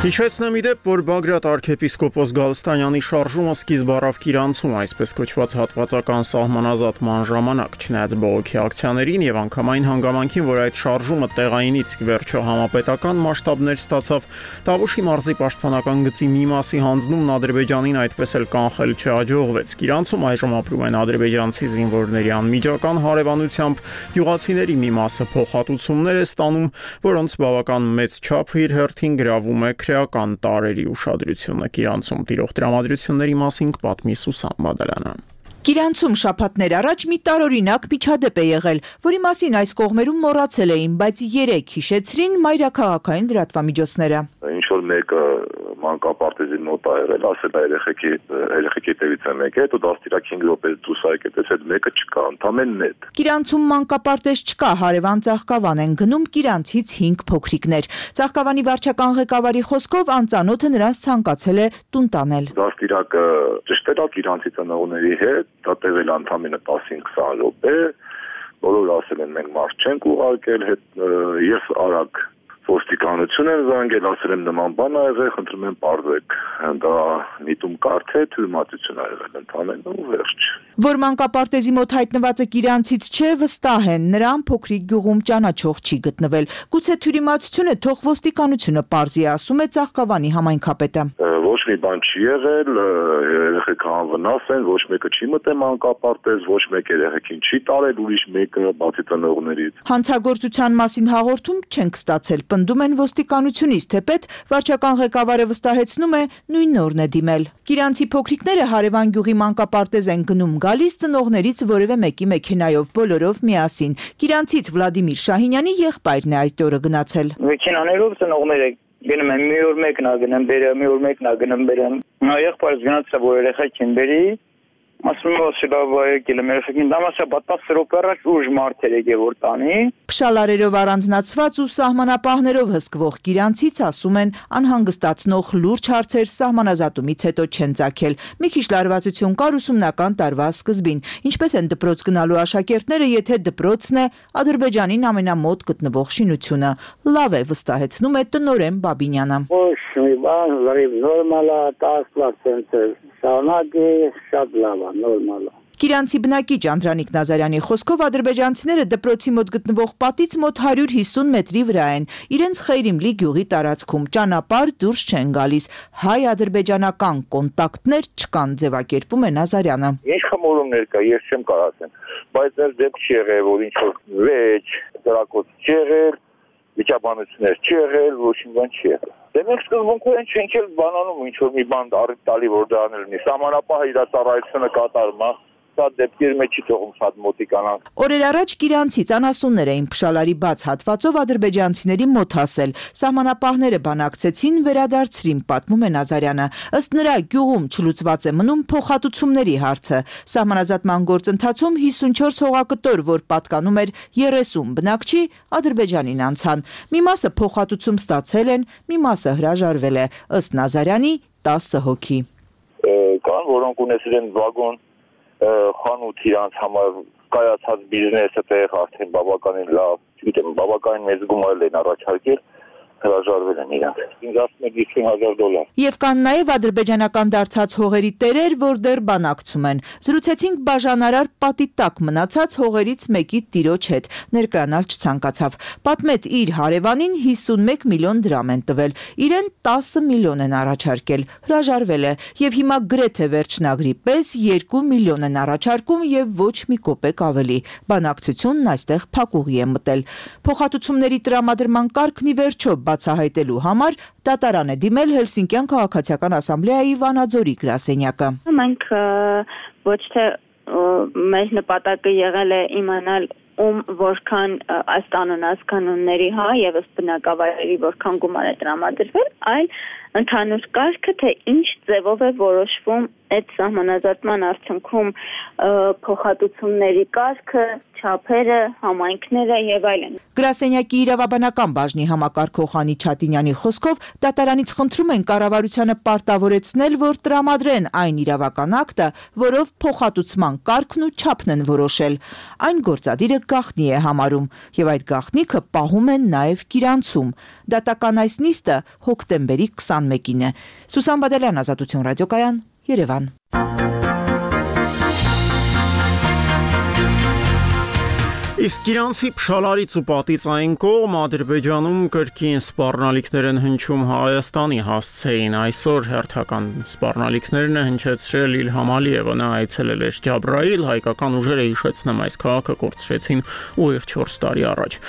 Հիշեցնեմ իդեպ, որ Բագրատ arczepiskopos Գալստանյանի շարժումը սկիզբ առավ Կիրանցում, այսպես կոչված հատվածական սահմանազատման ժամանակ, չնայած բողոքի ակցիաներին եւ անգամային հանգամանքին, որ այդ շարժումը տեղայինից վերջո համապետական մասշտաբներ ստացավ, Տավուշի մարզի պաշտպանական գծի մի մասի հանձնումն Ադրբեջանին այդպես էլ կանխել չհաջողվեց։ Կիրանցում այժմ ապրում են ադրբեջանցի զինվորների անմիջական հարևանությամբ, յուղացիների մի մասը փոխհատուցումներ է ստանում, որոնց բավական մեծ չափը իր հերթին գրավում է քրեական տարերի ուշադրությունը։ Կիրանցում տիրող տրամադրությունների մասին կպատմի Սուսան Բադալյանը։ Կիրանցում շաբաթներ առաջ մի տարօրինակ միջադեպ է եղել, որի մասին այս կողմերում մոռացել էին, բայց երեք հիշեցրին մայրաքաղաքային լրատվամիջոցները։ Ինչ որ մեկը մանկապարտեզի մոտ ա եղել, ասել է երեխեքի երեխեքի տևից է մեկ է, դու դաստիարակ հինգ րոպե դուրս ա եկել, այդ մեկը չկա, ընդամենն է։ Կիրանցում մանկապարտեզ չկա, հարևան Ծաղկավան են գնում Կիրանցից հինգ փոքրիկներ։ Ծաղկավանի վարչական ղեկավարի խոսքով անծանոթը նրանց ցանկացել է տուն տանել։ Դաստիարակը ճշտել է Կիրանցի ծնողների հետ, դա տևել ընդամենը տասին քսան րոպե, բոլորը ասել են մենք մարդ չենք ուղարկել, ես արագ ոստիկանություն են զանգել, ասել եմ նման բան ա եղել, խնդրում եմ պարզեք, դա միտում կարդ է, թյուրիմացություն ա եղել ընդամենը ու վերջ։ Որ մանկապարտեզի մոտ հայտնվածը Կիրանցից չէ, վստահ են, նրան փոքրիկ գյուղում ճանաչող չի գտնվել։ Գուցե թյուրիմացությունը թող ոստիկանությունը պարզի, ասում է Ծաղկավանի համայնքապետը։ Ոչ մի բան չի եղել, երեխեքը անվնաս են, ոչ մեկը չի մտել մանկապարտեզ, ոչ մեկ երեխեքին չի տարել ուրիշ մեկը բացի ծնողներից։ Հանցագործության մասին հաղորդում չենք ստացել, պնդում են ոստիկանությունից, թեպետ վարչական ղեկավարը վստահեցնում է նույն օրն է դիմել։ Կիրանցի փոքրիկները հարևան գյուղի մանկապարտեզ են գնում գալիս ծնողներից որևէ մեկի մեքենայով, բոլորով միասին։ Կիրանցից Վլադիմիր Շահինյանի եղբայրն է այդ օրը գնացել։ Մեքենաներով ծնողները գնում են մի օր մեկն ա գնում բերեմ, մի օր մեկն ա գնում բերեմ։ Նա եղբայրս գնացել որ երեխեքին բերի, ասում եմ ասել ա եկել եմ երեխեքին, դամասա բատաս րոպե առաջ ուժ մարդ էր եկել որ տանի։ Փշալարերով առանձնացված ու սահմանապահներով հսկվող Կիրանցից ասում են անհանգստացնող լուրջ հարցեր սահմանազատումից հետո չեն ծագել։ Մի քիչ լարվածություն կար ուսումնական տարվա սկզբին։ Ինչպես են դպրոց գնալու աշակերտները, եթե դպրոցն է Ադրբեջանին ամենամոտ գտնվող շինությունը։ Լավ է, վստահեցնում է տնօրեն Բաբինյանը։ Ոչ մի բան, լրիվ նորմալ է, տասնվա ցենտրը, շարունակի, շատ լավ է, նորմալ է։ Կիրանցի բնակիչ Անդրանիկ Նազարյանի խոսքով ադրբեջանցիները դպրոցի մոտ գտնվող պատից մոտ հարյուր հիսուն մետրի վրա են, իրենց Խեյրիմլի գյուղի տարածքում, ճանապարհ դուրս չեն գալիս, հայ-ադրբեջանական կոնտակտներ չկան, ձևակերպում է Նազարյանը։ Ինչ խմորումներ կա, ես չեմ կարող ասեմ, բայց դեռ դեպք չի եղել, որ ինչ որ վեճ, դրակոց չի եղել, վիճաբանություններ չի եղել, ոչ մի բան չի եղել։ Դե մենք սկզբունքորեն չենք էլ բանանում ինչ որ մի բան առիթ տալի, որ դա անել լինի։ Սահմանապահը իր ծառայությունը կատարում է։ Սա դեպքերի մեջ չի թողում շատ մոտիկանանք։ Օրեր առաջ Կիրանցից անասուններ էին Փշալարի բաց հատվածով ադրբեջանցիների մոտ հասել։ Սահմանապահները բանակցեցին, վերադարձրին, պատմում է Նազարյանը։ Ըստ նրա գյուղում չլուծված է մնում փոխհատուցումների հարցը։ Սահմանազատման գործընթացում հիսունչորս հողակտոր, որ պատկանում էր երեսուն բնակչի, Ադրբեջանին անցան։ Մի մասը փոխհատուցում ստացել են, մի մասը հրաժարվել է։ Ըստ Նազարյանի տասը հոգի։ Կան, որոնք ունեցել են վագոն խանութ իրանց համար կայացած բիզնեսը տեղ արդեն բավականին լավ, չգիտեմ, բավականին մեծ գումար են առաջարկել, հրաժարվել են իրանք։ ինձ ասում են հիսուն հազար դոլար։ Եվ կան նաև ադրբեջանական դարձած հողերի տերեր, որ դեռ բանակցում են։ Զրուցեցինք բաժանարար պատի տակ մնացած հողերից մեկի տիրոջ հետ, ներկայանալ չցանկացավ։ Պատմեց իր հարևանին հիսունմեկ միլիոն դրամ են տվել, իրեն տասը միլիոն են առաջարկել, հրաժարվել է, եւ հիմա գրեթե վերջնագրի պես երկու միլիոն են առաջարկում եւ ոչ մի կոպեկ ավելի։ Բանակցությունն այստեղ փակուղի է մտել։ Փոխհատուցումների տրամադրման կարգն ի վերջո բացահայտելու համար դատարան է դիմել Հելսինկյան քաղաքացիական ասամբլեայի Վանաձորի գրասենյակը։ Մենք ոչ թե մեր նպատակը եղել է իմանալ ում որքան այս կանոնած կանոնների հա եւ ըստ բնակավայրերի որքան գումար է տրամադրվել, այլ ընդհանուր կարգը թե ինչ ձևով է որոշվում այդ սահմանազատման արդյունքում փոխհատուցումների կարգը, չափերը, համայնքները եւ այլն։ Գրասենյակի իրավաբանական բաժնի համակարգող Անի Չատինյանի խոսքով դատարանից խնդրում են կառավարությանը պարտավորեցնել, որ տրամադրեն այն իրավական ակտը, որով փոխհատուցման կարգն ու չափն են որոշել։ Այն գործադիրը գաղտնի է համարում եւ այդ գաղտնիքը պահում են նաեւ Կիրանցում։ Դատական այս նիստը հոկտեմբերի քսանմեկին է։ Սուսան Բադալյան, Ազատություն ռադիոկայան, Երևան։ Իսկ Իրանցի Փշալարից ու պատից այն կողմ Ադրբեջանում կրկին սպառնալիքներ են հնչում Հայաստանի հասցեին։ Այսօր հերթական սպառնալիքներն է հնչեցրել Իլհամ Ալիևը, նա այցելել էր Ջաբրայիլ, հայկական ուժերը հիշեցնեմ այս քաղաքը կորցրեցին ուղիղ չորս տարի առաջ։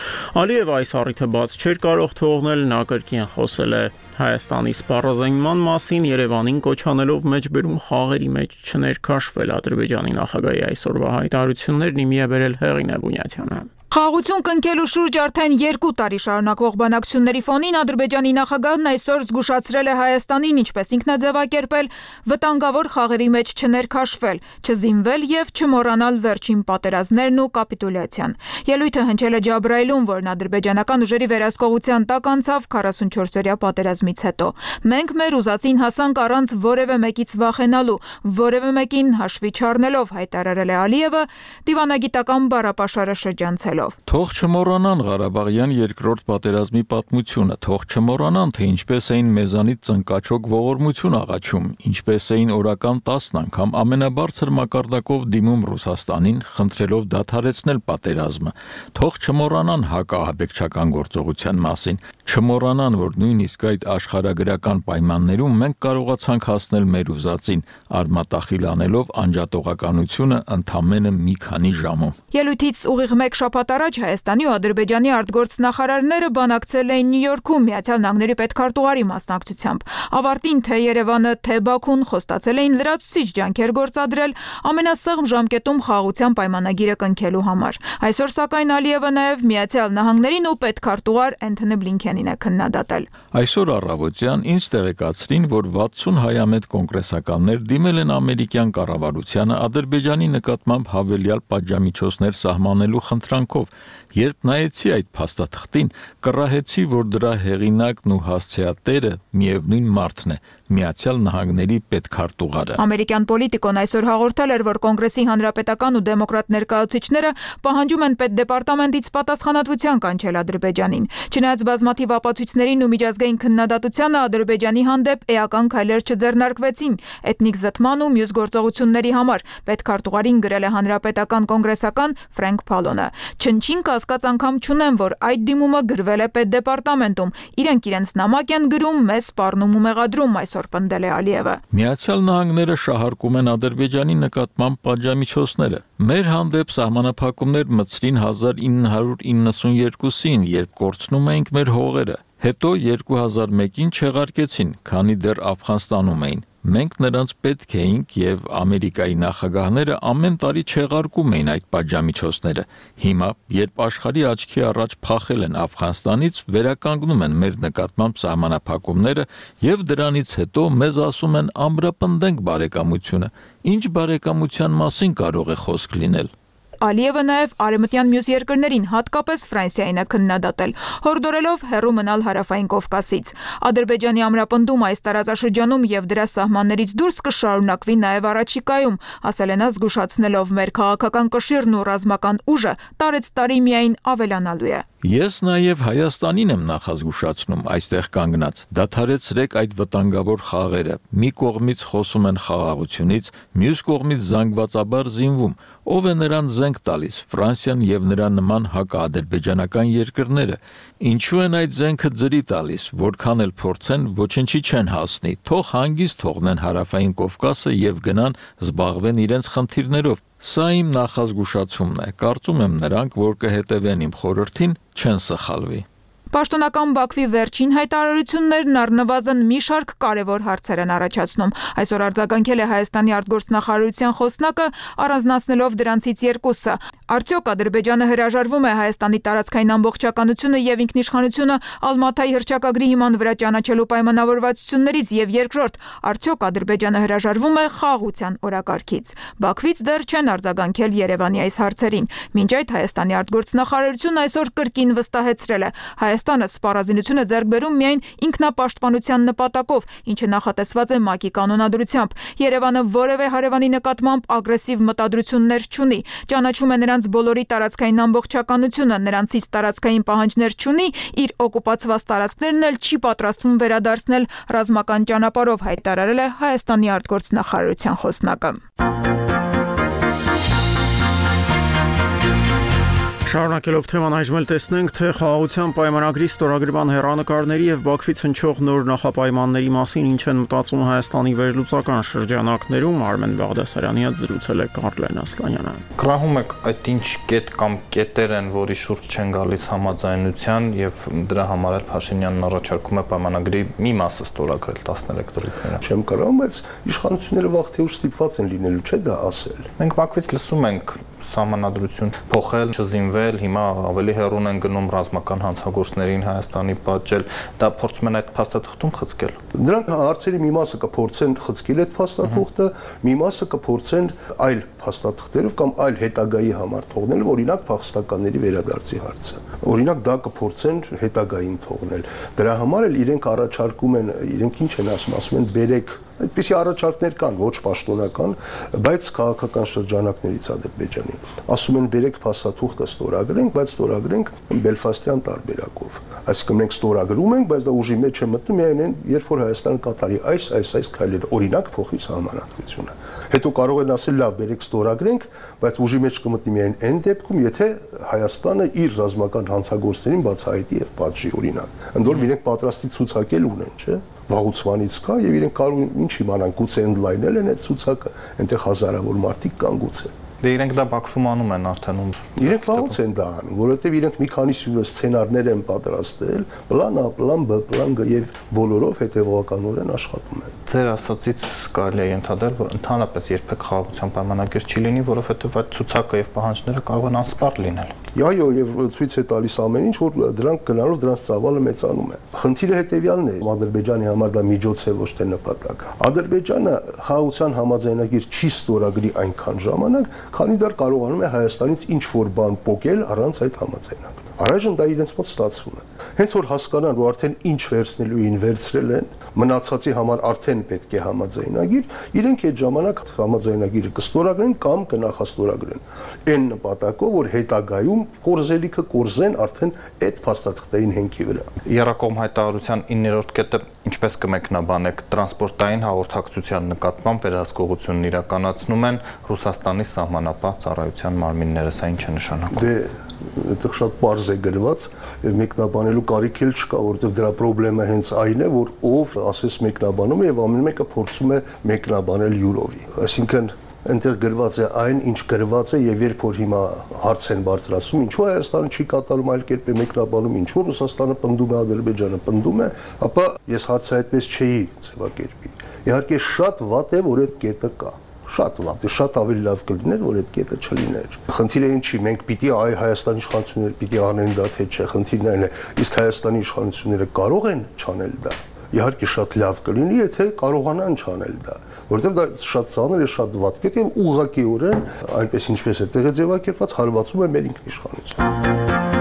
Ալիևը այս առիթը բաց չէր կարող թողնել, նա կրկին խոսել է Հայաստանի սպառազինման մասին, Երևանին կոչ անելով մեջբերում խաղերի մեջ չներքաշվել։ Ադրբեջանի նախագահի այսօրվա հայտարարություններն իմի է բերել Հեղինե Բունյաթյանը։ Խաղաղություն կնքելու շուրջ արդեն երկու տարի շարունակվող բանակցությունների ֆոնին Ադրբեջանի նախագահն այսօր զգուշացրել է Հայաստանին, ինչպես ինքն է ձևակերպել, վտանգավոր խաղերի մեջ չներքաշվել, չզինվել եւ չմոռանալ վերջին պատերազմներն ու կապիտուլյացիան։ Ելույթը հնչել է Ջաբրայիլում, որն ադրբեջանական ուժերի վերահսկողության տակ անցավ քառասունչորսօրյա պատերազմից հետո։ Մենք մեր ուզածին հասանք առանց որևէ մեկից վախենալու, որևէ մեկին հաշվի չառնելով, հայտարարել է Ալիևը դիվանագիտական բառապաշարը շրջանցելով։ Թող չմոռանան Ղարաբաղյան երկրորդ պատերազմի պատմությունը, թող չմոռանան, թե ինչպես էին մեզանից ծնկաչոք ողորմություն աղաչում, ինչպես էին օրական տասն անգամ ամենաբարձր մակարդակով դիմում Ռուսաստանին, խնդրելով դադարեցնել պատերազմը, թող չմոռանան հակաահաբեկչական գործողության մասին, չմոռանան, որ նույնիսկ այդ աշխարհագրական պայմաններում մենք կարողացանք հասնել մեր ուզածին, արմատախիլ անելով անջատողականությունը ընդամենը մի քանի ժամում։ Ելույթից ուղիղ մեկ շաբաթ առաջ Հայաստանի ու Ադրբեջանի արտգործնախարարները բանակցել էին Նյու Յորքում Միացյալ Նահանգների պետքարտուղարի մասնակցությամբ։ Ավարտին թե Երևանը, թե Բաքուն խոստացել էին լրացուցիչ ջանքեր գործադրել ամենասեղմ ժամկետում խաղաղության պայմանագիրը կնքելու համար։ Այսօր սակայն Ալիևը նաև Միացյալ Նահանգներին ու պետքարտուղար Էնթոնի Բլինքենին է քննադատել։ Այսօր առավոտյան ինձ տեղեկացրին, որ վաթսուն հայամետ կոնգրեսականներ դիմել են ամերիկյան կառավարությանը Ադրբեջանի նկատմամբ հավելյալ պատժամիջոցներ սահմանելու խնդրանքով, երբ նայեցի այդ փաստաթղթին, կռահեցի, որ դրա հեղինակն ու հասցեատերը միևնույն մարդն է՝ Միացյալ Նահանգների պետքարտուղարը։ Ամերիկյան պոլիտիկոն այսօր հաղորդել էր, որ կոնգրեսի հանրապետական ու դեմոկրատ ներկայացուցիչները պահանջում են պետդեպարտամենտից պատասխանատվության կանչել Ադրբեջանին։ Չնայած բազմաթիվ ապացույցներին ու միջազգային քննադատությանը Ադրբեջանի հանդեպ էական քայլեր չձեռնարկվեցին էթնիկ զտման ու մյուս գործողությունների համար, պետքարտուղարին գրել է հանրապետական կոնգրեսական Ֆրենկ Փալոնը։ Չնչին կասկած անգամ չունեմ, որ այդ դիմումը գրվել է պետդեպարտամենտում։ Իրենք իրենց նամակ են գրում, մեզ սպառնում ու մեղադրում, այսօր պնդել է Ալիևը։ Միացյալ Նահանգները շահարկում են Ադրբեջանի նկատմամբ պատժամիջոցները։ Մեր հանդեպ սահմանափակումներ մտցրին հազար ինը հարյուր իննսունյերկուսին, երբ կորցնում էինք մեր հողերը։ Հետո երկու հազար մեկին չեղարկեցին, քանի դեռ Աֆղանստանում էին։ Մենք նրանց պետք էինք եւ Ամերիկայի նախագահները ամեն տարի չեղարկում էին այդ պատժամիջոցները։ Հիմա, երբ աշխարհի աչքի առաջ փախել են Աֆղանստանից, վերականգնում են մեր նկատմամբ սահմանափակումները եւ դրանից հետո մեզ ասում են ամրապնդենք բարեկամությունը։ Ինչ բարեկամության մասին կարող է խոսք լինել։ Ալիևը նաև արևմտյան մյուս երկրներին, հատկապես Ֆրանսիային է քննադատել, հորդորելով հեռու մնալ Հարավային Կովկասից։ Ադրբեջանի ամրապնդումը այս տարածաշրջանում եւ դրա սահմաններից դուրս կշարունակվի նաև առաջիկայում, ասել է նա զգուշացնելով մեր քաղաքական կշիռն ու ռազմական ուժը տարեցտարի միայն ավելանալու է։ Ես նաև Հայաստանին եմ նախազգուշացնում այստեղ կանգնած։ Դադարեցրեք այդ վտանգավոր խաղերը։ Մի կողմից խոսում են խաղաղությունից, մյուս կողմից զանգվածաբար զինվում։ Ով է նրան զենք տալիս, Ֆրանսիան եւ նրա նման հակաադրբեջանական երկրները։ Ինչու են այդ զենքը ձրի տալիս, որքան էլ փորձեն, ոչինչի չեն հասնի։ Թող հանգիստ թողնեն Հարավային Կովկասը եւ գնան զբաղվեն իրենց խնդիրներով։ Սա իմ նախազգուշացումն է։ Կարծում եմ նրանք, որ կհետևեն իմ խորհրդին, չեն սխալվի։ Պաշտոնական Բաքվի վերջին հայտարարություններն առնվազն մի շարք կարևոր հարցեր են առաջացնում։ Այսօր արձագանքել է Հայաստանի արտգործնախարարության խոսնակը, առանձնացնելով դրանցից երկուսը։ Արդյոք Ադրբեջանը հրաժարվում է Հայաստանի տարածքային ամբողջականությունը եւ ինքնիշխանությունը Ալմաթայի հռչակագրի հիման վրա ճանաչելու պայմանավորվածություններից եւ երկրորդ, արդյոք Ադրբեջանը հրաժարվում է խաղաղության օրակարգից։ Բաքվից դեռ չեն արձագանքել Երևանի այս հարցերին։ Մինչ այդ Հայաստանի արտգործնախարարությունն այսօր կրկին վստահեցրել է Հայաստանը սպառազինություն է ձեռք բերում միայն ինքնապաշտպանության նպատակով, ինչը նախատեսված է ՄԱԿ-ի կանոնադրությամբ։ Երևանը որևէ հարևանի նկատմամբ ագրեսիվ մտադրություններ չունի, ճանաչում է նրանց բոլորի տարածքային ամբողջականությունը, նրանցից տարածքային պահանջներ չունի, իր օկուպացված տարածքներն էլ չի պատրաստվում վերադարձնել ռազմական ճանապարհով, հայտարարել է Հայաստանի արտգործնախարարության խոսնակը։ Շարունակելով թեման այժմ էլ տեսնենք, թե խաղաղության պայմանագրի ստորագրման հեռանկարների եւ Բաքվից հնչող նոր նախապայմանների մասին ինչ են մտածում Հայաստանի վերլուծական շրջանակներում, Արմեն Բաղդասարյանի հետ զրուցել է Կարլեն Ասլանյանը։ Գրահում եք այդ ինչ կետ կամ կետեր են, որի շուրջ չեն գալիս համաձայնության եւ դրա համար էլ Փաշինյանն առաջարկում է պայմանագրի մի մասը ստորագրել տասներեք դրույթները։ Չեմ կարող, բայց իշխանությունները վաղ թե ուշ ստիպված են լինելու, չէ՞ դա ասել։ Մենք Բաքվից լսում ենք սահմանադրություն փոխել, չզինվել, հիմա ավելի հեռուն են գնում ռազմական հանցագործներին Հայաստանի պատժել, դա փորձում են այդ փաստաթղթում խցկել։ Նրանք հարցերի մի մասը կփորձեն խցկել այդ փաստաթղթը, մի մասը կփորձեն այլ փաստաթղթերով կամ այլ հետագայի համար թողնել, օրինակ փախստականների վերադարձի հարցը։ Օրինակ դա կփորձեն հետագային թողնել։ Դրա համար էլ իրենք առաջարկում են, իրենք ինչ են ասում, ասում են բերեք այդպիսի առաջարկներ կան, ոչ պաշտոնական, բայց քաղաքական շրջանակներից Ադրբեջանի։ Ասում են բերեք փաստաթուղթը ստորագրենք, բայց ստորագրենք Բելֆաստյան տարբերակով։ Այսինքն մենք ստորագրում ենք, բայց դա ուժի մեջ է մտնում միայն երբ որ Հայաստանը կատարի այս այս այս քայլերը, օրինակ փոխի սահմանադրությունը։ Հետո կարող են ասել լավ, բերեք ստորագրենք, բայց ուժի մեջ կմտնի միայն այն դեպքում, եթե Հայաստանը իր ռազմական հանցագործներին բացահայտի եւ պատժի, օրինակ։ Ընդ որում իրենք պատրաստի ցուցակել ունեն, չէ՞։ Վաղուցվանից կա եւ իրենք կարող են ինչ իմանան, գուցե ընդլայնել են այդ ցուցակը, այնտեղ հազարավոր մարդիկ կան գուցե։ Դե իրենք դա Բաքվում անում են արդեն ում։ Իրենք վաղուց են դա անում, որովհետեւ իրենք մի քանի սցենարներ են պատրաստել, պլան A, պլան B, պլան G եւ բոլորով հետեւողականորեն աշխատում են։ Ձեր ասացից կարելի է ենթադրել, որ ընդհանրապես երբեք խաղաղության պայմանագիր չի լինի, որովհետեւ այդ ցուցակը եւ պահանջները կարող են անսպառ լինել։ Այո, եւ ցույց է տալիս ամեն ինչ, որ դրանք գնալով դրանց ծավալը մեծանում է։ Խնդիրը հետեւյալն է, Ադրբեջանի համար դա միջոց է, ոչ թե նպատակ։ Ադրբեջանը խաղաղության համաձայնագիր չի ստորագրի այնքան ժամանակ, քանի դեռ կարողանում է Հայաստանից ինչ որ բան փոկել առանց այդ համաձայնագրի։ Առայժմ դա իրենց մոտ ստացվում է։ Հենց որ հասկանան, որ արդեն ինչ վերցնելու են վերցրել են, մնացածի համար արդեն պետք է համաձայնագիր, իրենք այդ ժամանակ համաձայնագիրը կստորագրեն կամ կնախաստորագրեն։ Այն նպատակով, որ հետագայում կորզելիքը կորզեն արդեն այդ փաստաթղթային հենքի վրա։ Եռակողմ հայտարարության իններորդ կետը ինչպես կմեկնաբանեք տրանսպորտային հաղորդակցության նկատմամբ վերահսկողությունն իրականացնում են Ռուսաստանի սահմանապահ ծառայության մարմինները, սա ինչ է նշանակում։ Դե այդտեղ շատ པարզ է գրված, մեկնաբանելու կարիք էլ չկա, որովհետև դրա խնդրեմը հենց այն է, որ ով ասես մեկնաբանում է եւ ամեն մեկը փորձում է մեկնաբանել յուրովի։ Այսինքն այնտեղ գրված է այն, ինչ գրված է եւ երբ որ հիմա հարց են բարձրացում, ինչու Հայաստանը չի կատարում այլ կերպ է մեկնաբանում, ինչու Ռուսաստանը պնդում է, Ադրբեջանը պնդում է, ապա ես հարցը այդպես չէի ձևակերպի։ Իհարկե շատ վատ է, որ այդ կետը կա։ Շատ վատ է, շատ ավելի լավ կլիներ, որ այդ կետը չլիներ։ Խնդիրը ինչի, մենք պիտի այ Հայաստանի իշխանությունները պիտի անեն դա թե չէ, խնդիրն այն է, իսկ Հայաստանի իշխանությունները կարող են չանել դա։ Իհարկե շատ լավ կլինի, եթե կարողանան չանել դա, որովհետև դա շատ ծանր է, շատ վատ կետ եւ ուղղակիորեն այնպես ինչպես է տեղը ձևակերպված հարվածում է մեր ինքնիշխանությունը։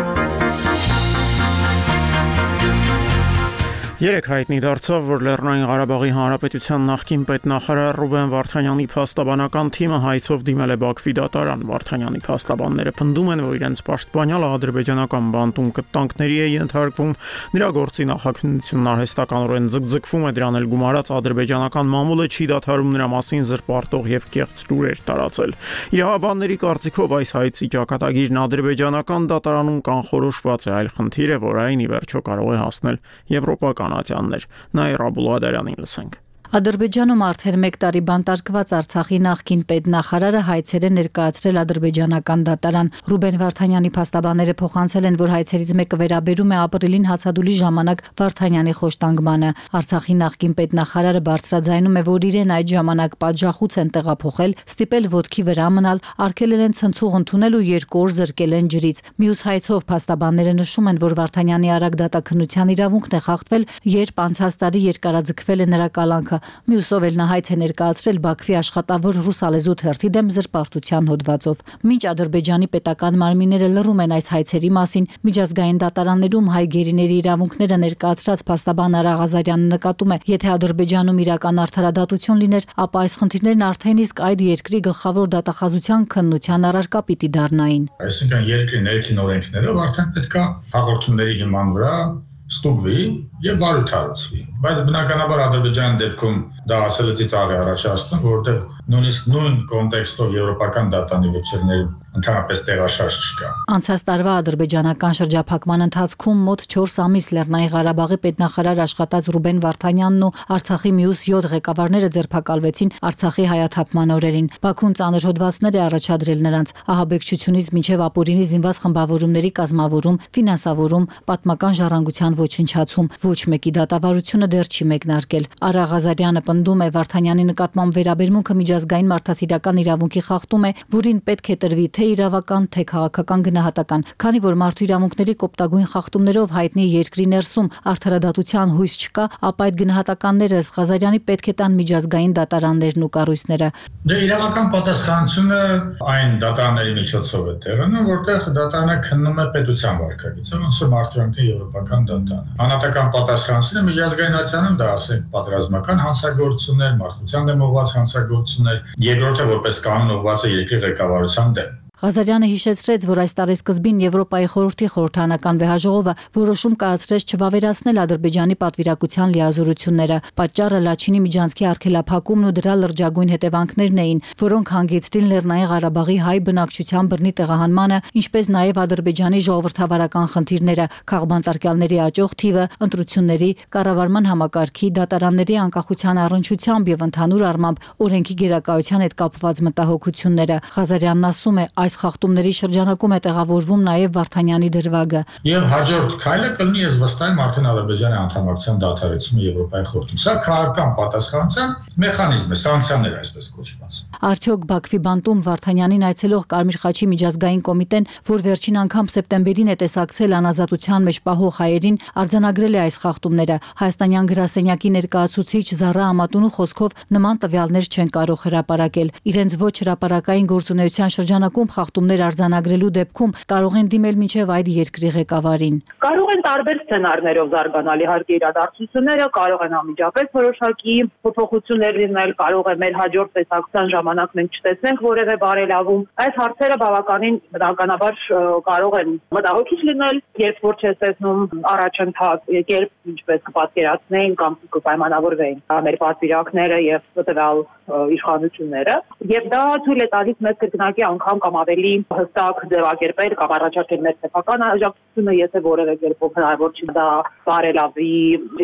Երեք հայտնի դարձավ, որ Լեռնային Ղարաբաղի Հանրապետության նախկին պետնախարար Ռուբեն Վարդանյանի փաստաբանական թիմը հայցով դիմել է Բաքվի դատարան։ Վարդանյանի փաստաբանները պնդում են, որ իրենց պաշտպանյալը ադրբեջանական բանտում կտանքների է ենթարկվում, նրա գործի նախաքննությունն արհեստականորեն ձգձգվում է, դրան էլ գումարած ադրբեջանական մամուլը չի դադարում նրա մասին զրպարտող եւ կեղծ լուրեր տարածել։ Իրավաբանների կարծիքով այս հայցի ճակատագիրն ադրբեջանական դատարանում կանխորոշված է, այլ խնդիր է, որ այն ի վերջո կարող է հասնել եվրոպական Նայր Աբուլղադարյանին լսենք։ Ադրբեջանում արդեն մեկ տարի բանտարկված Արցախի նախկին պետնախարարը հայցեր է ներկայացրել ադրբեջանական դատարան։ Ռուբեն Վարդանյանի փաստաբանները փոխանցել են, որ հայցերից մեկը վերաբերում է ապրիլին հացադուլի ժամանակ Վարդանյանի խոշտանգմանը։ Արցախի նախկին պետնախարարը բարձրաձայնում է, որ իրեն այդ ժամանակ պատժախուց են տեղափոխել, ստիպել ոտքի վրա մնալ, արգելել են ցնցուղ ընդունել ու երկու օր զրկել են ջրից։ Մյուս հայցով փաստաբանները նշում են, որ Վարդանյանի արագ դատաքննության իրավունքն է խախտվել, երբ անցած տարի երկարաձգվել է նրա կալանքը։ Մյուսով էլ նա հայց է ներկայացրել Բաքվի աշխատավոր ռուսալեզու թերթի դեմ զրպարտության հոդվածով։ Մինչ Ադրբեջանի պետական մարմինները լռում են այս հայցերի մասին, միջազգային դատարաններում հայ գերիների իրավունքները ներկայացրած փաստաբան Արա Ղազարյանը նկատում է, եթե Ադրբեջանում իրական արդարադատություն լիներ, ապա այս խնդիրներն արդեն իսկ այդ երկրի գլխավոր դատախազության քննության առարկա պիտի դառնային։ Այսինքն երկրի ներքին օրենքներով արդեն պետք է հաղորդումների հիման վրա ստուգվի եւ բարութարացվի, բայց բնականաբար Ադրբեջանի դեպքում դա ասելը ծիծաղ է առաջացնում, որովհետեւ նույնիսկ նույն կոնտեքստով եվրոպական դատանի վճիռներում ընդհանրապես տեղաշարժ չկա։ Անցած տարվա ադրբեջանական շրջափակման ընթացքում մոտ չորս ամիս Լեռնային Ղարաբաղի պետնախարար աշխատած Ռուբեն Վարդանյանն ու Արցախի մյուս յոթ ղեկավարները ձերբակալվեցին Արցախի հայաթափման օրերին։ Բաքուն ծանր հոդվածներ է առաջադրել նրանց ահաբեկչությունից մինչև ապօրինի զինված խմբավորումների կազմավորում, ֆինանսավորում, պատմական ժառանգության ոչնչացում։ Ոչ մեկի դատավարությունը դեռ չի մեկնարկել։ Արա Ղազարյանը պնդում է, Վարդանյանի նկատմամբ վերաբերմունքը միջազգային մարդասիրական իրավունքի խախտում է, որին պետք է տրվի թե իրավական, թե քաղաքական գնահատական, քանի որ մարդու իրավունքների կոպտագույն խախտումներով հայտնի երկրի ներսում արդարադատության հույս չկա, ապա այդ գնահատականները ըստ Ղազարյանի պետք է տան միջազգային դատարաններն ու կառույցները։ Դե իրավական պատասխանատվությունը այն դատարանների միջոցով է տեղանում, որտեղ դատարանը քննում է պետության վարքագիծը, ոնց որ մարդու եվրոպական դատարանը։ Անհատական պատասխանատվությունը միջազգայնացանում դա ասենք պատերազմական հանցագործություններ, մարդկության դեմ ուղղված հանցագործություններ, երկրորդը որպես կանոն ուղղված է երկրի ղեկավարության դեմ։ Ղազարյանը հիշեցրեց, որ այս տարեսկզբին Եվրոպայի խորհրդի խորհրդանական վեհաժողովը որոշում կայացրեց չվավերացնել Ադրբեջանի պատվիրակության լիազորությունները։ Պատճառը Լաչինի միջանցքի արգելափակումն ու դրա լրջագույն հետևանքներն էին, որոնք հանգեցրին Լեռնային Ղարաբաղի հայ բնակչության բռնի տեղահանմանը, ինչպես նաև Ադրբեջանի ժողովրդավարական խնդիրները, քաղբանտարկյալների աճող թիվը, ընտրությունների, կառավարման համակարգի, դատարանների անկախության առնչությամբ եւ ընդհանուր առմամբ օրենքի գերակայության հետ կապված մտահոգությունները։ Ղազարյանն ասում է, այս խախտումների շրջանակում է տեղավորվում նաև Վարդանյանի դրվագը։ Եվ հաջորդ քայլը կլինի, ես վստահ եմ, արդեն Ադրբեջանի անդամակցության դադարեցումը Եվրոպայի խորհրդում։ Սա քաղաքական պատասխանատվության մեխանիզմ է, սանկցիաներ այսպես կոչված։ Արդյոք Բաքվի բանտում Վարդանյանին այցելող Կարմիր խաչի միջազգային կոմիտեն, որ վերջին անգամ սեպտեմբերին է տեսակցել անազատության մեջ պահող հայերին, արձանագրել է այս խախտումները։ Հայաստանյան գրասենյակի ներկայացուցիչ Զառա Ամատունու խոսքով նման տվյալներ չեն կարող հրապարակել։ Իրենց ոչ հրապարակային գործունեության շրջանակում խախտումներ արձանագրելու դեպքում կարող են դիմել մինչև այդ երկրի ղեկավարին։ Կարող են տարբեր սցենարներով զարգանալ իհարկե իրադարձությունները, կարող են անմիջապես որոշակի փոփոխություններ լինել, կարող է մեր հաջորդ տեսակցության ժամանակ մենք չտեսնենք որևէ բարելավում։ Այս հարցերը բավականին բնականաբար կարող են մտահոգիչ լինել, երբ որ չես տեսնում առաջընթաց, երբ ինչպես կպատկերացնեին կամ կպայմանավորվեին մեր պատվիրակները եւ տվյալ իշխանությունները, եւ դա թույլ է տալիս մեծ կրկնակի անգամ կամ ավելի հստակ ձևակերպել կամ առաջարկել մեր սեփական աջակցությունը, եթե որևէ կերպով հնարավոր չի դա բարելավի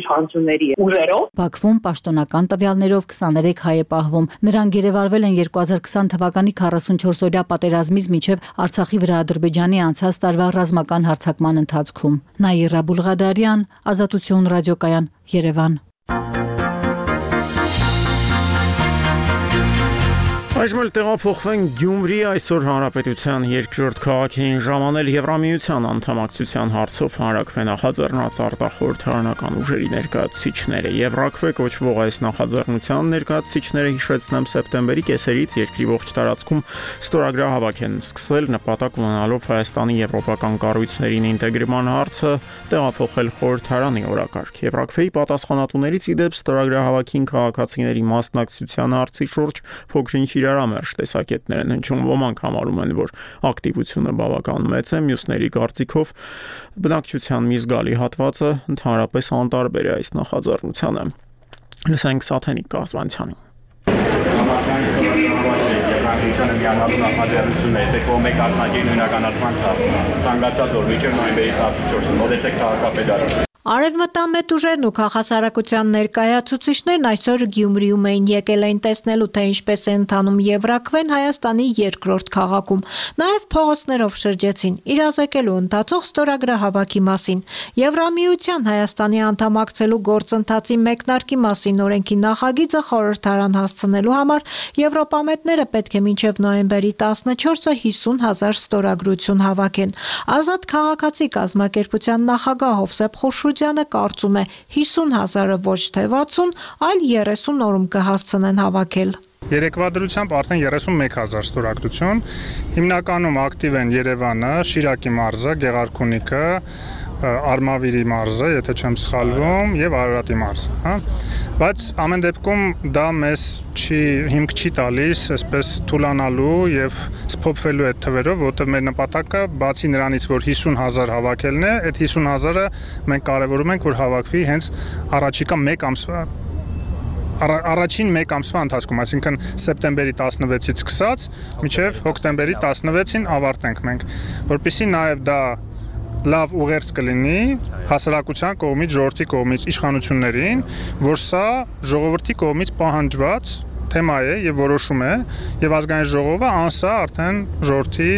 իշխանությունների ուժերով։ Բաքվում պաշտոնական տվյալներով քսաներեք հայ է պահվում։ Նրանք գերեվարվել են երկու հազար քսան թվականի քառասունչորսօրյա պատերազմից մինչև Արցախի վրա Ադրբեջանի անցած տարվա ռազմական հարձակման ընթացքում։ Նայր Աբուլղադարյան, Ազատություն ռադիոկայան, Երևան։ Այժմ էլ տեղափոխվենք Գյումրի, այսօր Հանրապետության երկրորդ քաղաքին ժամանել Եվրամիության անդամակցության հարցով հանրաքվե նախաձեռնած արտախորհրդարանական ուժերի ներկայացուցիչները։ Եվրաքվե կոչվող այս նախաձեռնության ներկայացուցիչները, հիշեցնեմ, սեպտեմբերի կեսերից երկրի ողջ տարածքում ստորագրահավաք են սկսել, նպատակ ունենալով Հայաստանի եվրոպական կառույցներին ինտեգրման հարցը տեղափոխել խորհրդարանի օրակարգ։ Եվրաքվեի պատասխանատուներից ի դեպ ստորագրահավաքին քաղաքացիների մասնակցության հարցի շուրջ փոքրինչ իրարամերժ տեսակետներ են հնչում, ոմանք համարում են, որ ակտիվությունը բավական մեծ է, մյուսների կարծիքով բնակչության մի զգալի հատվածը ընդհանրապես անտարբեր է այս նախաձեռնությանը։ Լսենք Սաթենիկ Կազվանցյանին։ Եվրամիությանը միանալու նախաձեռնությունը եթե կողմի կազմակերպի նույնականացման ցանկացած օր մինչև նոյեմբերի տասնչորսը մոտեցեք քաղաքապետարան։ Արևմտամետ ուժերն ու քաղաքասարակության ներկայացուցիչներն այսօր Գյումրիում էին, եկել էին տեսնելու, թե ինչպես է ընթանում Եվրաքվեն Հայաստանի երկրորդ քաղաքում։ Նաև փողոցներով շրջեցին, իրազեկելու ընթացող ստորագրահավաքի մասին։ Եվրամիության Հայաստանի անդամակցելու գործընթացի մեկնարկի մասին օրենքի նախագիծը խորհրդարան հասցնելու համար եվրոպամետները պետք է մինչև նոյեմբերի տասնչորսը հիսուն հազար ստորագրություն հավաքեն։ Ազատ քաղաքացի կազմակերպության նախագահ Հովսեփ Խորշուդյանը կարծում է հիսուն հազարը ոչ թե վաթսուն, այլ երեսուն օրում կհասցնեն հավաքել։ Երեկվա դրությամբ արդեն երեսունմեկ հազար ստորագրություն, հիմնականում ակտիվ են Երևանը, Շիրակի մարզը, Գեղարքունիքը, Արմավիրի մարզը, եթե չեմ սխալվում, եւ Արարատի մարզը, հա։ Բայց ամեն դեպքում դա մեզ չի հիմք չի տալիս այսպես թուլանալու եւ սփոփվելու այդ թվերով, որտեղ մեր նպատակը բացի նրանից, որ հիսուն հազար հավաքելն է, այդ հիսուն հազարը մենք կարևորում ենք, որ հավաքվի հենց առաջիկա մեկ ամսվա առաջին մեկ ամսվա ընթացքում, այսինքն սեպտեմբերի տասնվեցից սկսած մինչև հոկտեմբերի տասնվեցին ավարտենք մենք, որպեսզի նաև դա լավ ուղերձ կլինի հասարակության կողմից, ժողովրդի կողմից իշխանություններին, որ սա ժողովրդի կողմից պահանջված թեմա է եւ որոշում է, եւ ազգային ժողովը անսա արդեն ժողովրդի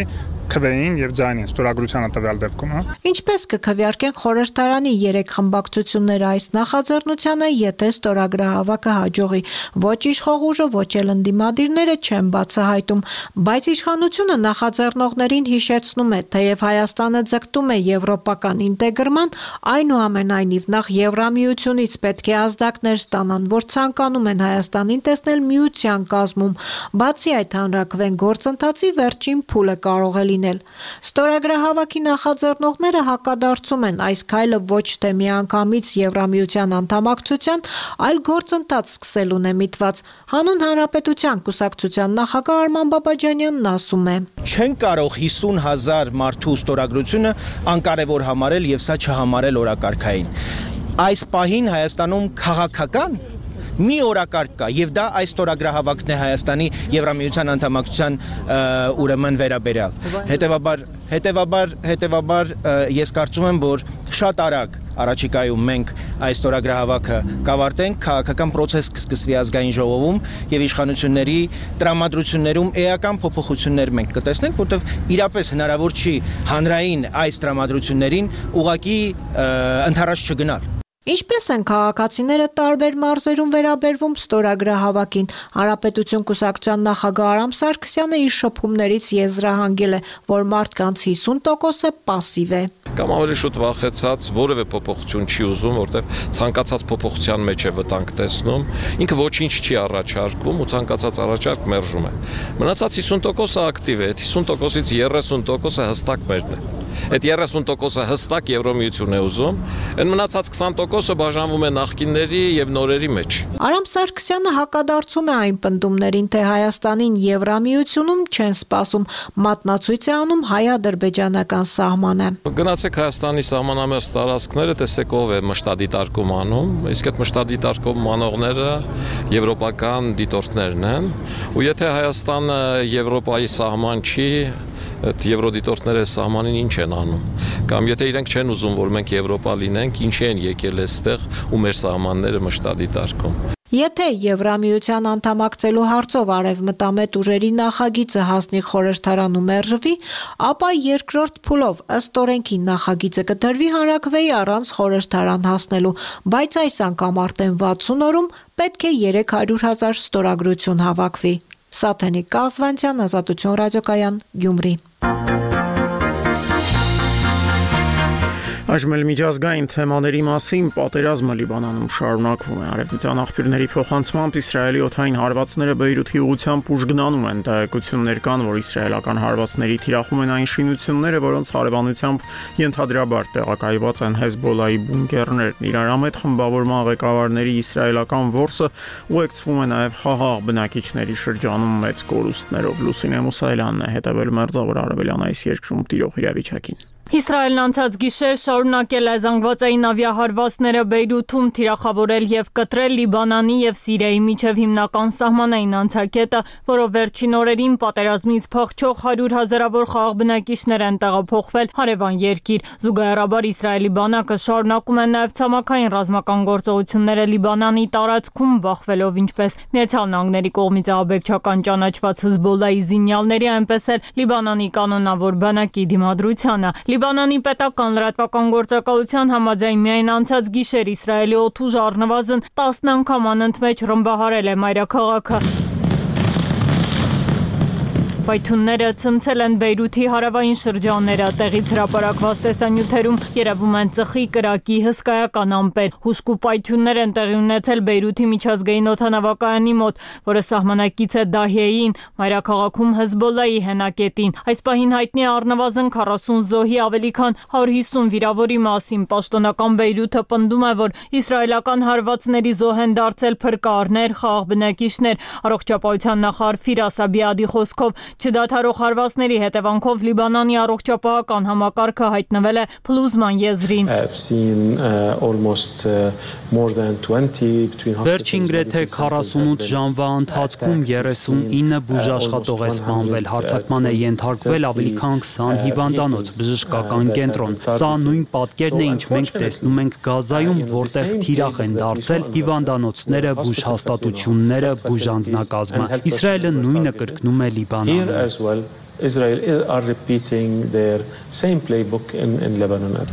քվեին եւ ձայնին ստորագրությանը տվյալ դեպքում, հա։ Ինչպես կքվեարկեն խորհրդարանի երեք խմբակցությունները այս նախաձեռնությանը, եթե ստորագրահավաքը հաջողի, ոչ իշխող ուժը, ոչ էլ ընդդիմադիրները չեն բացահայտում, բայց իշխանությունը նախաձեռնողներին հիշեցնում է, թեև Հայաստանը ձգտում է եվրոպական ինտեգրման, այնուամենայնիվ նախ Եվրամիությունից պետք է ազդակներ ստանան, որ ցանկանում են Հայաստանին տեսնել միության կազմում, բացի այդ հանրաքվեն գործընթացի վերջին փուլը կարող է լինել։ Ստորագրահավաքի նախաձեռնողները հակադարձում են այս քայլը ոչ թե միանգամից Եվրամիության անդամակցության, այլ գործընթաց սկսելուն է միտված։ Հանուն Հանրապետության կուսակցության նախագահ Արման Բաբաջանյանն ասում է. Չեն կարող հիսուն հազար մարդու ստորագրությունը անկարևոր համարել եւ սա չհամարել օրակարգային։ Այս պահին Հայաստանում քաղաքական մի օրակարգ կա եւ դա այս ստորագրահավաքն է Հայաստանի Եվրամիության անդամակցության ուրեմն վերաբերյալ։ Հետևաբար հետևաբար հետևաբար ես կարծում եմ, որ շատ արագ առաջիկայում մենք այս ստորագրահավաքը կավարտենք, քաղաքական process կսկսվի ազգային ժողովում եւ իշխանությունների տրամադրություններում էական փոփոխություններ մենք կտեսնենք, որտեղ իրապես հնարավոր չի հանրային այս տրամադրություններին ուղղակի ընդառաջ չգնալ։ Ինչպես են քաղաքացիները տարբեր մարզերում վերաբերվում ստորագրահավաքին։ Հանրապետություն կուսակցության նախագահ Արամ Սարգսյանը իր շփումներից եզրահանգել է, որ մարդկանց հիսուն տոկոսը պասիվ է։ Կամ ավելի շուտ վախեցած որևէ փոփոխություն չի ուզում, որտեղ ցանկացած փոփոխության մեջ է վտանգ տեսնում, ինքը ոչինչ չի առաջարկում ու ցանկացած առաջարկ մերժում է։ Մնացած հիսուն տոկոսը ակտիվ է, այդ հիսուն տոկոսից երեսուն տոկոսը հստակ մերն է։ Այդ երեսուն տոկոսը հստակ Եվրամիություն է ուզում, այն մնացած քսան տոկոսը բաժանվում է նախկինների եւ նորերի մեջ։ Արամ Սարգսյանը հակադարձում է այն պնդումներին, թե Հայաստանին Եվրամիությունում չեն սպասում, մատնացույց է անում հայ-ադրբեջանական սահմանը։ Գնացեք Հայաստանի սահմանամերձ տարածքները, տեսեք ով է մշտադիտարկում անում, իսկ այդ մշտադիտարկում անողները եվրոպական դիտորդներն են, ու եթե Հայաստանը Եվրոպայի սահման չի, այդ եվրոդիտորդները սահմանին ինչ են անում, կամ եթե իրենք չեն ուզում, որ մենք Եվրոպա լինենք, ինչի են եկել այստեղ ու մեր սահմանները մշտադիտարկում։ Եթե Եվրամիության անդամակցելու հարցով արևմտամետ ուժերի նախագիծը հասնի խորհրդարան ու մերժվի, ապա երկրորդ փուլով ըստ օրենքի նախագիծը կդրվի հանրաքվեի առանց խորհրդարան հասնելու, բայց այս անգամ արդեն վաթսուն օրում պետք է երեք հարյուր հազար ստորագրություն հավաքվի։ Սաթենիկ Կազվանցյան, Ազատություն ռադիոկայան, Գյումրի։ Այժմ էլ միջազգային թեմաների մասին պատերազմը Լիբանանում շարունակվում է։ Արևմտյան աղբյուրների փոխանցմամբ Իսրայելի օդային հարվածները Բեյրութի ուղղությամբ ուժգնանում են։ Տեղեկություններ կան, որ իսրայելական հարվածների թիրախում են այն շինությունները, որոնց հարևանությամբ ենթադրաբար տեղակայված են Հեզբոլայի բունկերներն։ Իրարամետ խմբավորման ղեկավարների իսրայելական որսը ուղեկցվում է նաև խաղաղ բնակիչների շրջանում մեծ կորուստներով։ Լուսինե Մուսայելյանն է հետևել Մերձավոր Արևելյան այս երկրում տիրող իրավիճակին։ Իսրայելն անցած գիշեր շարունակել է զանգվածային ավիահարվածները Բեյրութում թիրախավորել եւ կտրել Լիբանանի եւ Սիրիայի միջև հիմնական սահմանային անցակետը, որով վերջին օրերին պատերազմից փախչող հարյուր հազարավոր խաղաղ բնակիչներ են տեղափոխվել հարևան երկիր։ Զուգահեռաբար Իսրայելի բանակը շարունակում է նաեւ ցամաքային ռազմական գործողությունները Լիբանանի տարածքում բախվելով ինչպես Միացյալ Նահանգների կողմից ահաբեկչական ճանաչված Հեզբոլայի զինյալների, այնպես էլ Լիբանանի կանոնավոր բանակի դիմադրությանը։ Լիբանանի պետական լրատվական գործակալության համաձայն միայն անցած գիշեր Իսրայելի օդուժը առնվազն տասն անգամ անընդմեջ ռմբահարել է մայրաքաղաքը։ Պայթյունները ցնցել են Բեյրութի հարավային շրջանները, տեղից հրապարակված տեսանյութերում երևում են ծխի, կրակի, հսկայական ամպեր։ Հուժկու պայթյուններ են տեղի ունեցել Բեյրութի միջազգային օդանավակայանի մոտ, որը սահմանակից է Դահիեին, մայրաքաղաքում Հեզբոլայի հենակետին։ Այս պահին հայտնի է առնվազն քառասուն զոհի, ավելի քան հարյուր հիսուն վիրավորի մասին։ Պաշտոնական Բեյրութը պնդում է, որ իսրայելական հարվածների զոհ են դարձել փրկարներ, խաղաղ բնակիչներ։ Առողջապահության նախարար Ֆիրաս Աբիադի խոսքով չդադարող հարվածների հետևանքով Լիբանանի առողջապահական համակարգը հայտնվել է փլուզման եզրին։ Վերջին գրեթե քառասունութ ժամվա ընթացքում երեսունինը բուժաշխատող է սպանվել, հարձակման է ենթարկվել ավելի քան քսան հիվանդանոց, բժշկական կենտրոն։ Սա նույն պատկերն է, ինչ մենք տեսնում ենք Գազայում, որտեղ թիրախ են դարձել հիվանդանոցները, բուժհաստատությունները, բուժանձնակազմը։ Իսրայելը նույնը կրկնում է Լիբանանում as well. Israel are repeating their same playbook in, in Lebanon.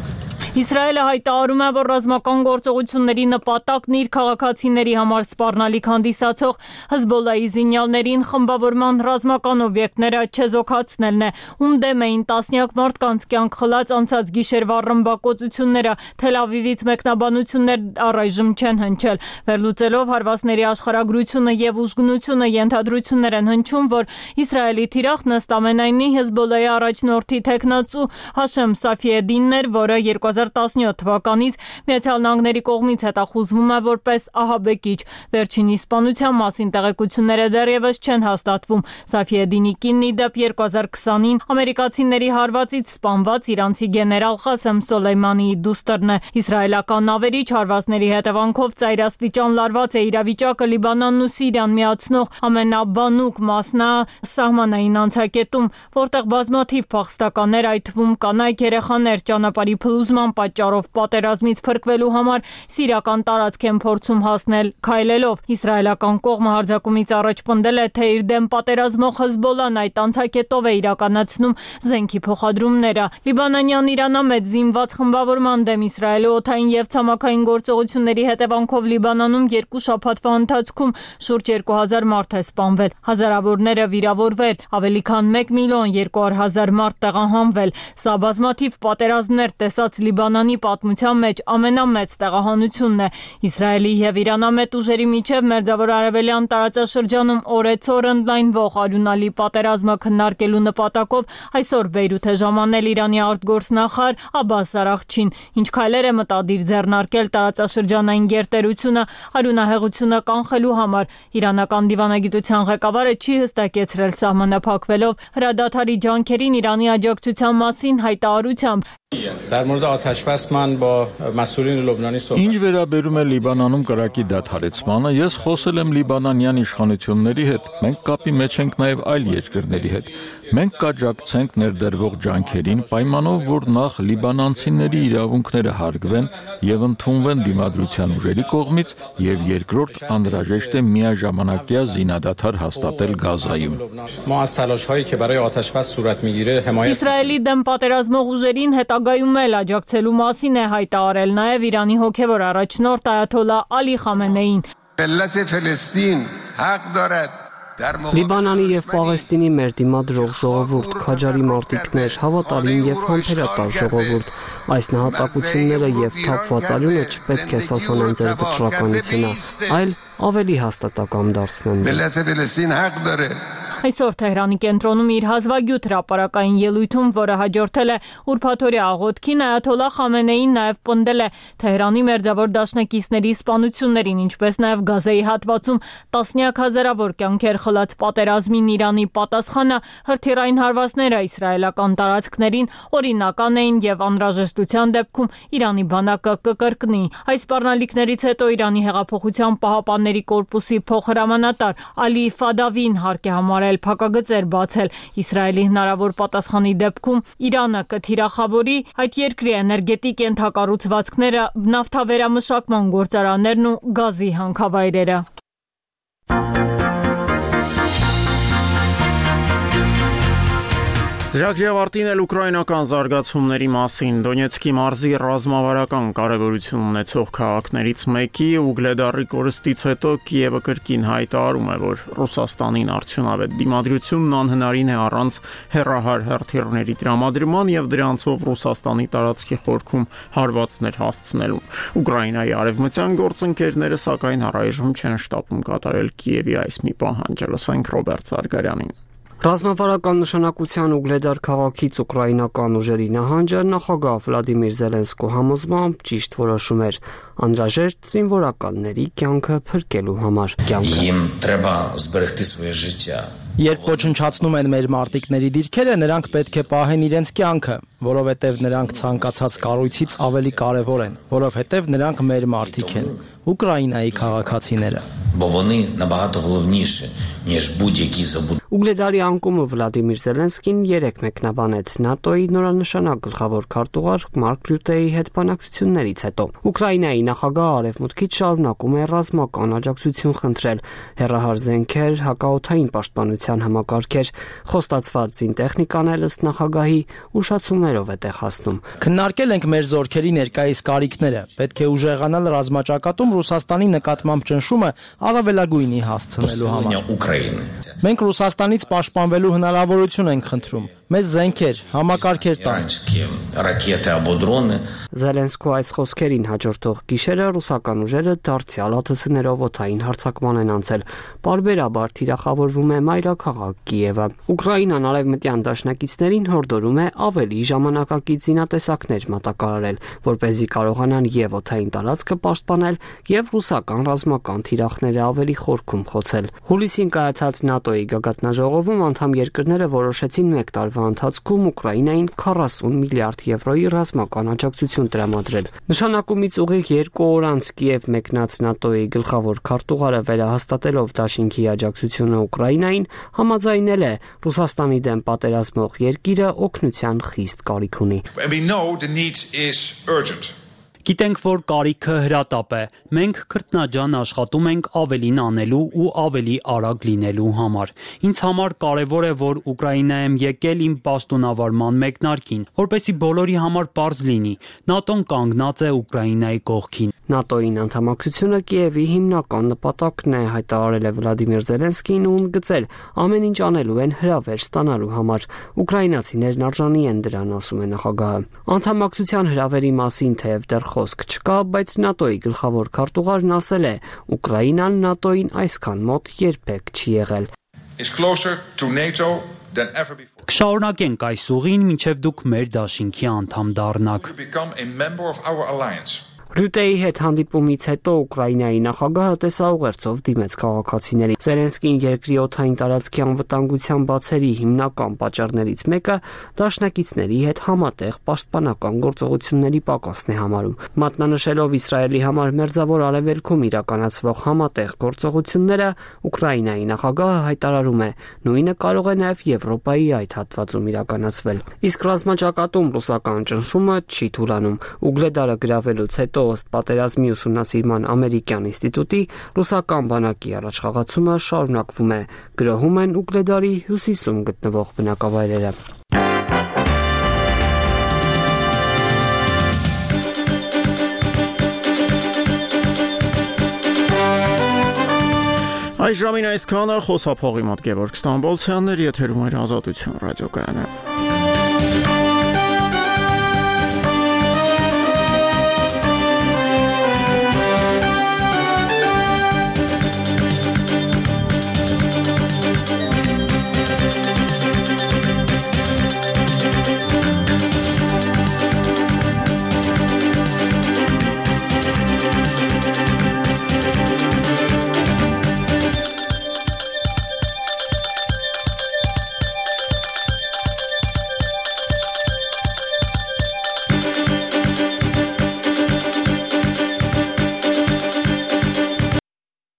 Իսրայելը հայտարարում է, որ ռազմական գործողությունների նպատակն իր քաղաքացիների համար սպառնալիք հանդիսացող Հեզբոլայի զինյալներին խմբավորման ռազմական օբյեկտները չեզոքացնելն է, ում դեմ էին տասնյակ մարդկանց կյանք խլած անցած գիշերվա ռմբակոծությունները, Թել Ավիվից մեկնաբանություններ առայժմ չեն հնչել։ Վերլուծելով հարվածների աշխարհագրությունը եւ ուժգնությունը ենթադրություններ են հնչում, որ Իսրայելի թիրախն ըստ ամենայնի Հեզբոլայի առաջնորդի տեխնացու Հաշեմ Սաֆիեդինն էր, որը երկու հազար տասնյոթ թվականից Միացյալ Նահանգների կողմից հետախուզվում է որպես ահաբեկիչ։ Վերջին իսպանության մասին տեղեկությունները դեռևս չեն հաստատվում։ Սաֆիեդինի կինն ի դեպ երկու հազար քսանին ամերիկացիների հարվածից սպանված իրանցի գեներալ Ղասեմ Սոլեյմանիի դուստրն է։ Իսրայելական ավերիչ հարվածների հետևանքով ծայրաստիճան լարված է իրավիճակը Լիբանանն ու Սիրիան միացնող ամենաբանուկ մասնա սահմանային անցակետում, որտեղ բազմաթիվ փախստականներ, այդ թվում կանայք, երեխաներ ճանապարհի փլուզման պատճառով պատերազմից փրկվելու համար սիրիական տարածք են փորձում հասնել քայլելով։ Իսրայելական կողմը հարձակումից առաջ պնդել է, թե իր դեմ պատերազմող Հեզբոլան այդ անցակետով է իրականացնում զենքի փոխադրումները։ Լիբանանյան իրանամետ զինված խմբավորման դեմ Իսրայելի օդային եւ ցամաքային գործողությունների հետևանքով Լիբանանում երկու շաբաթվա ընթացքում շուրջ երկու հազար մարդ է սպանվել, հազարավորները վիրավորվել, ավելի քան մեկ միլիոն երկու հարյուր հազար մարդ տեղահանվել։ Սա բազմաթիվ պատերազմներ տեսած Լիբանանի պատմության մեջ ամենամեծ տեղահանությունն է։ Իսրայելի եւ իրանամետ ուժերի միջև Մերձավոր Արևելյան տարածաշրջանում օրեցօր ընդլայնվող արյունալի պատերազմը քննարկելու նպատակով այսօր Բեյրութ է ժամանել Իրանի արտգործնախարար Աբբաս Արաղչին, ինչ քայլեր է մտադիր ձեռնարկել տարածաշրջանային գերտերությունը արյունահեղությունը կանխելու համար։ Իրանական դիվանագիտության ղեկավարը չի հստակեցրել սահմանափակվելով հրադադարի ջանքերին Իրանի աջակցության մասին հայտարարությամբ։ Ինչ վերաբերում է Լիբանանում կրակի դադարեցմանը, ես խոսել եմ լիբանանյան իշխանությունների հետ, մենք կապի մեջ ենք նաև այլ երկրների հետ։ Մենք կաջակցենք ներդրվող ջանքերին, պայմանով, որ նախ լիբանանցիների իրավունքները հարգվեն եւ ընդունվեն դիմադրության ուժերի կողմից, եւ երկրորդ անհրաժեշտ է միաժամանակյա զինադադար հաստատել Գազայում։ Իսրայելի դեմ պատերազմող ուժերին հետագայում էլ աջակցելու մասին է հայտարարել նաև Իրանի հոգևոր առաջնորդ Այաթոլլահ Ալի Խամենեին։ Լիբանանի եւ Պաղեստինի մեր դիմադրող ժողովուրդ, քաջարի մարտիկներ, հավատարիմ եւ համբերատար ժողովուրդ, այս նահատակությունները եւ թափված արյունը չպետք է սասանեն ձեր վճռականությունը, այլ ավելի հաստատակամ դարձնեն։ Այսօր Թեհրանի կենտրոնում իր հազվագյուտ հրապարակային ելույթում, որը հաջորդել է ուրբաթօրյա աղոթքին, Այաթոլլահ Խամենեին նաև պնդել է Թեհրանի մերձավոր դաշնակիցների սպանություններին, ինչպես նաև Գազայի հատվածում տասնյակ հազարավոր կյանքեր խլած պատերազմին Իրանի պատասխանը հրթիռային հարվածները իսրայելական տարածքներին օրինական էին եւ անհրաժեշտության դեպքում Իրանի բանակը կկրկնի։ Այս սպառնալիքներից հետո Իրանի հեղափոխության պահապանների կորպուսի փոխհրամանատար Ալի Ֆադավին հարկ է համարել փակագծեր բացել Իսրայելի հնարավոր պատասխանի դեպքում Իրանը կթիրախավորի այդ երկրի էներգետիկ ենթակառուցվածքները, նավթավերամշակման գործարաններն ու գազի հանքավայրերը։ Ծրագրի ավարտին էլ ուկրաինական զարգացումների մասին Դոնեցկի մարզի ռազմավարական կարևորություն ունեցող քաղաքներից մեկի Ուգլեդարի կորստից հետո Կիևը կրկին հայտարարում է, որ Ռուսաստանին արդյունավետ դիմադրությունն անհնարին է առանց հեռահար հրթիռների տրամադրման եւ դրանցով Ռուսաստանի տարածքի խորքում հարվածներ հասցնելուն։ Ուկրաինայի արևմտյան գործընկերները սակայն առայժմ չեն շտապում կատարել Կիևի այս մի պահանջը, լսենք Ռոբերտ Զարգարյանին։ Ռազմավարական նշանակության Ուգլեդար քաղաքից ուկրաինական ուժերի նահանջը նախագահ Վլադիմիր Զելենսկու համոզմամբ ճիշտ որոշում էր, անհրաժեշտ զինվորականների կյանքը փրկելու համար։ Երբ ոչնչացնում են մեր մարտիկների դիրքերը, նրանք պետք է պահեն իրենց կյանքը, որովհետև նրանք ցանկացած կառույցից ավելի կարևոր են, որովհետև նրանք մեր մարտիկ են, Ուկրաինայի քաղաքացիները։ Ուգլեդարի անկումը Վլադիմիր Զելենսկին երեք մեկնաբանեց ՆԱՏՕ-ի նորանշանակ գլխավոր քարտուղար Մարկ Ռյուտեի հետ բանակցություններից հետո։ Ուկրաինայի նախագահը արևմուտքից շարունակում է ռազմական աջակցություն խնդրել, հեռահար զենքեր, հակաօդային պաշտպանության համակարգեր, խոստացված զինտեխնիկան էլ ըստ նախագահի ուշացումներով է տեղ հասնում։ Քննարկել ենք մեր զորքերի ներկայիս կարիքները, պետք է ուժեղանալ ռազմաճակատում Ռուսաստանի նկատմամբ ճնշումը առավելագույնի հասցնելու համար։ Մենք Ռուսաստանից պաշտպանվելու հնարավորություն ենք խնդրում։ Մեզ զենքեր, համակարգեր տան։ Զելենսկու այս խոսքերին հաջորդող գիշերը ռուսական ուժերը դարձյալ ԱԹՍ-ներով օդային հարձակման են անցել։ Պարբերաբար թիրախավորվում է մայրաքաղաք Կիևը։ Ուկրաինան արևմտյան դաշնակիցներին հորդորում է ավելի ժամանակակից զինատեսակներ մատակարարել, որպեսզի կարողանան եւ օդային տարածքը պաշտպանել, եւ ռուսական ռազմական թիրախները ավելի խորքում խոցել։ Հուլիսին կայացած ՆԱՏՕ-ի գագաթնաժողովում անդամ երկրները որոշեցին մեկ տարվա ընթացքում Ուկրաինային քառասուն միլիարդ եվրոյի ռազմական աջակցություն տրամադրել։ Նշանակումից ուղիղ երկու օր անց Կիև մեկնած ՆԱՏՕ-ի գլխավոր քարտուղարը վերահաստատելով դաշինքի աջակցությունը Ուկրաինային համաձայնել է Ռուսաստանի դեմ պատերազմող երկիրը օգնության խիստ կարիք ունի։ Գիտենք, որ կարիքը հրատապ է։ Մենք քրտնաջան աշխատում ենք ավելին անելու ու ավելի արագ լինելու համար։ Ինձ համար կարևոր է, որ Ուկրաինա եմ եկել իմ պաշտոնավարման մեկնարկին, որպեսզի բոլորի համար պարզ լինի։ ՆԱՏՕ-ն կանգնած է Ուկրաինայի կողքին։ ՆԱՏՕ-ին անդամակցությունը Կիևի հիմնական նպատակն է, հայտարարել է Վլադիմիր Զելենսկին ու ընդգծել, ամեն ինչ անելու են հրավեր ստանալու համար։ Ուկրաինացիներն արժանի են դրան, ասում է նախագահը։ Անդամակցության հրավերի մասին թեև դեռ խոսք չկա, բայց ՆԱՏՕ-ի գլխավոր քարտուղարն ասել է, Ուկրաինան ՆԱՏՕ-ին այսքան մոտ երբեք չի եղել։ Կշարունակենք այս ուղին, մինչև դուք մեր դաշինքի անդամ դառնաք։ Ռյուտեի հետ հանդիպումից հետո Ուկրաինայի նախագահը տեսաուղերձով դիմեց քաղաքացիներին։ Զելենսկին երկրի օդային տարածքի անվտանգության բացերի հիմնական պատճառներից մեկը դաշնակիցների հետ համատեղ պաշտպանական գործողությունների պակասն է համարում։ Մատնանշելով Իսրայելի համար մերձավոր արևելքում իրականացվող համատեղ գործողությունները, Ուկրաինայի նախագահը հայտարարում է, նույնը կարող է նաև Եվրոպայի այդ հատվածում իրականացվել։ Իսկ ռազմաճակատում ռուսական ճնշումը չի թուլանում։ Ուգլեդարը գրավելուց հետո ըստ պատերազմի ուսումնասիրման ամերիկյան ինստիտուտի ռուսական բանակի առաջխաղացումը շարունակվում է, գրոհում են Ուգլեդարի հյուսիսում գտնվող բնակավայրերը։ Այս ժամին այսքանը խոսափողի մոտ Գևորգ Ստամբոլցյանն էր, եթերում էր Ազատություն ռադիոկայանը։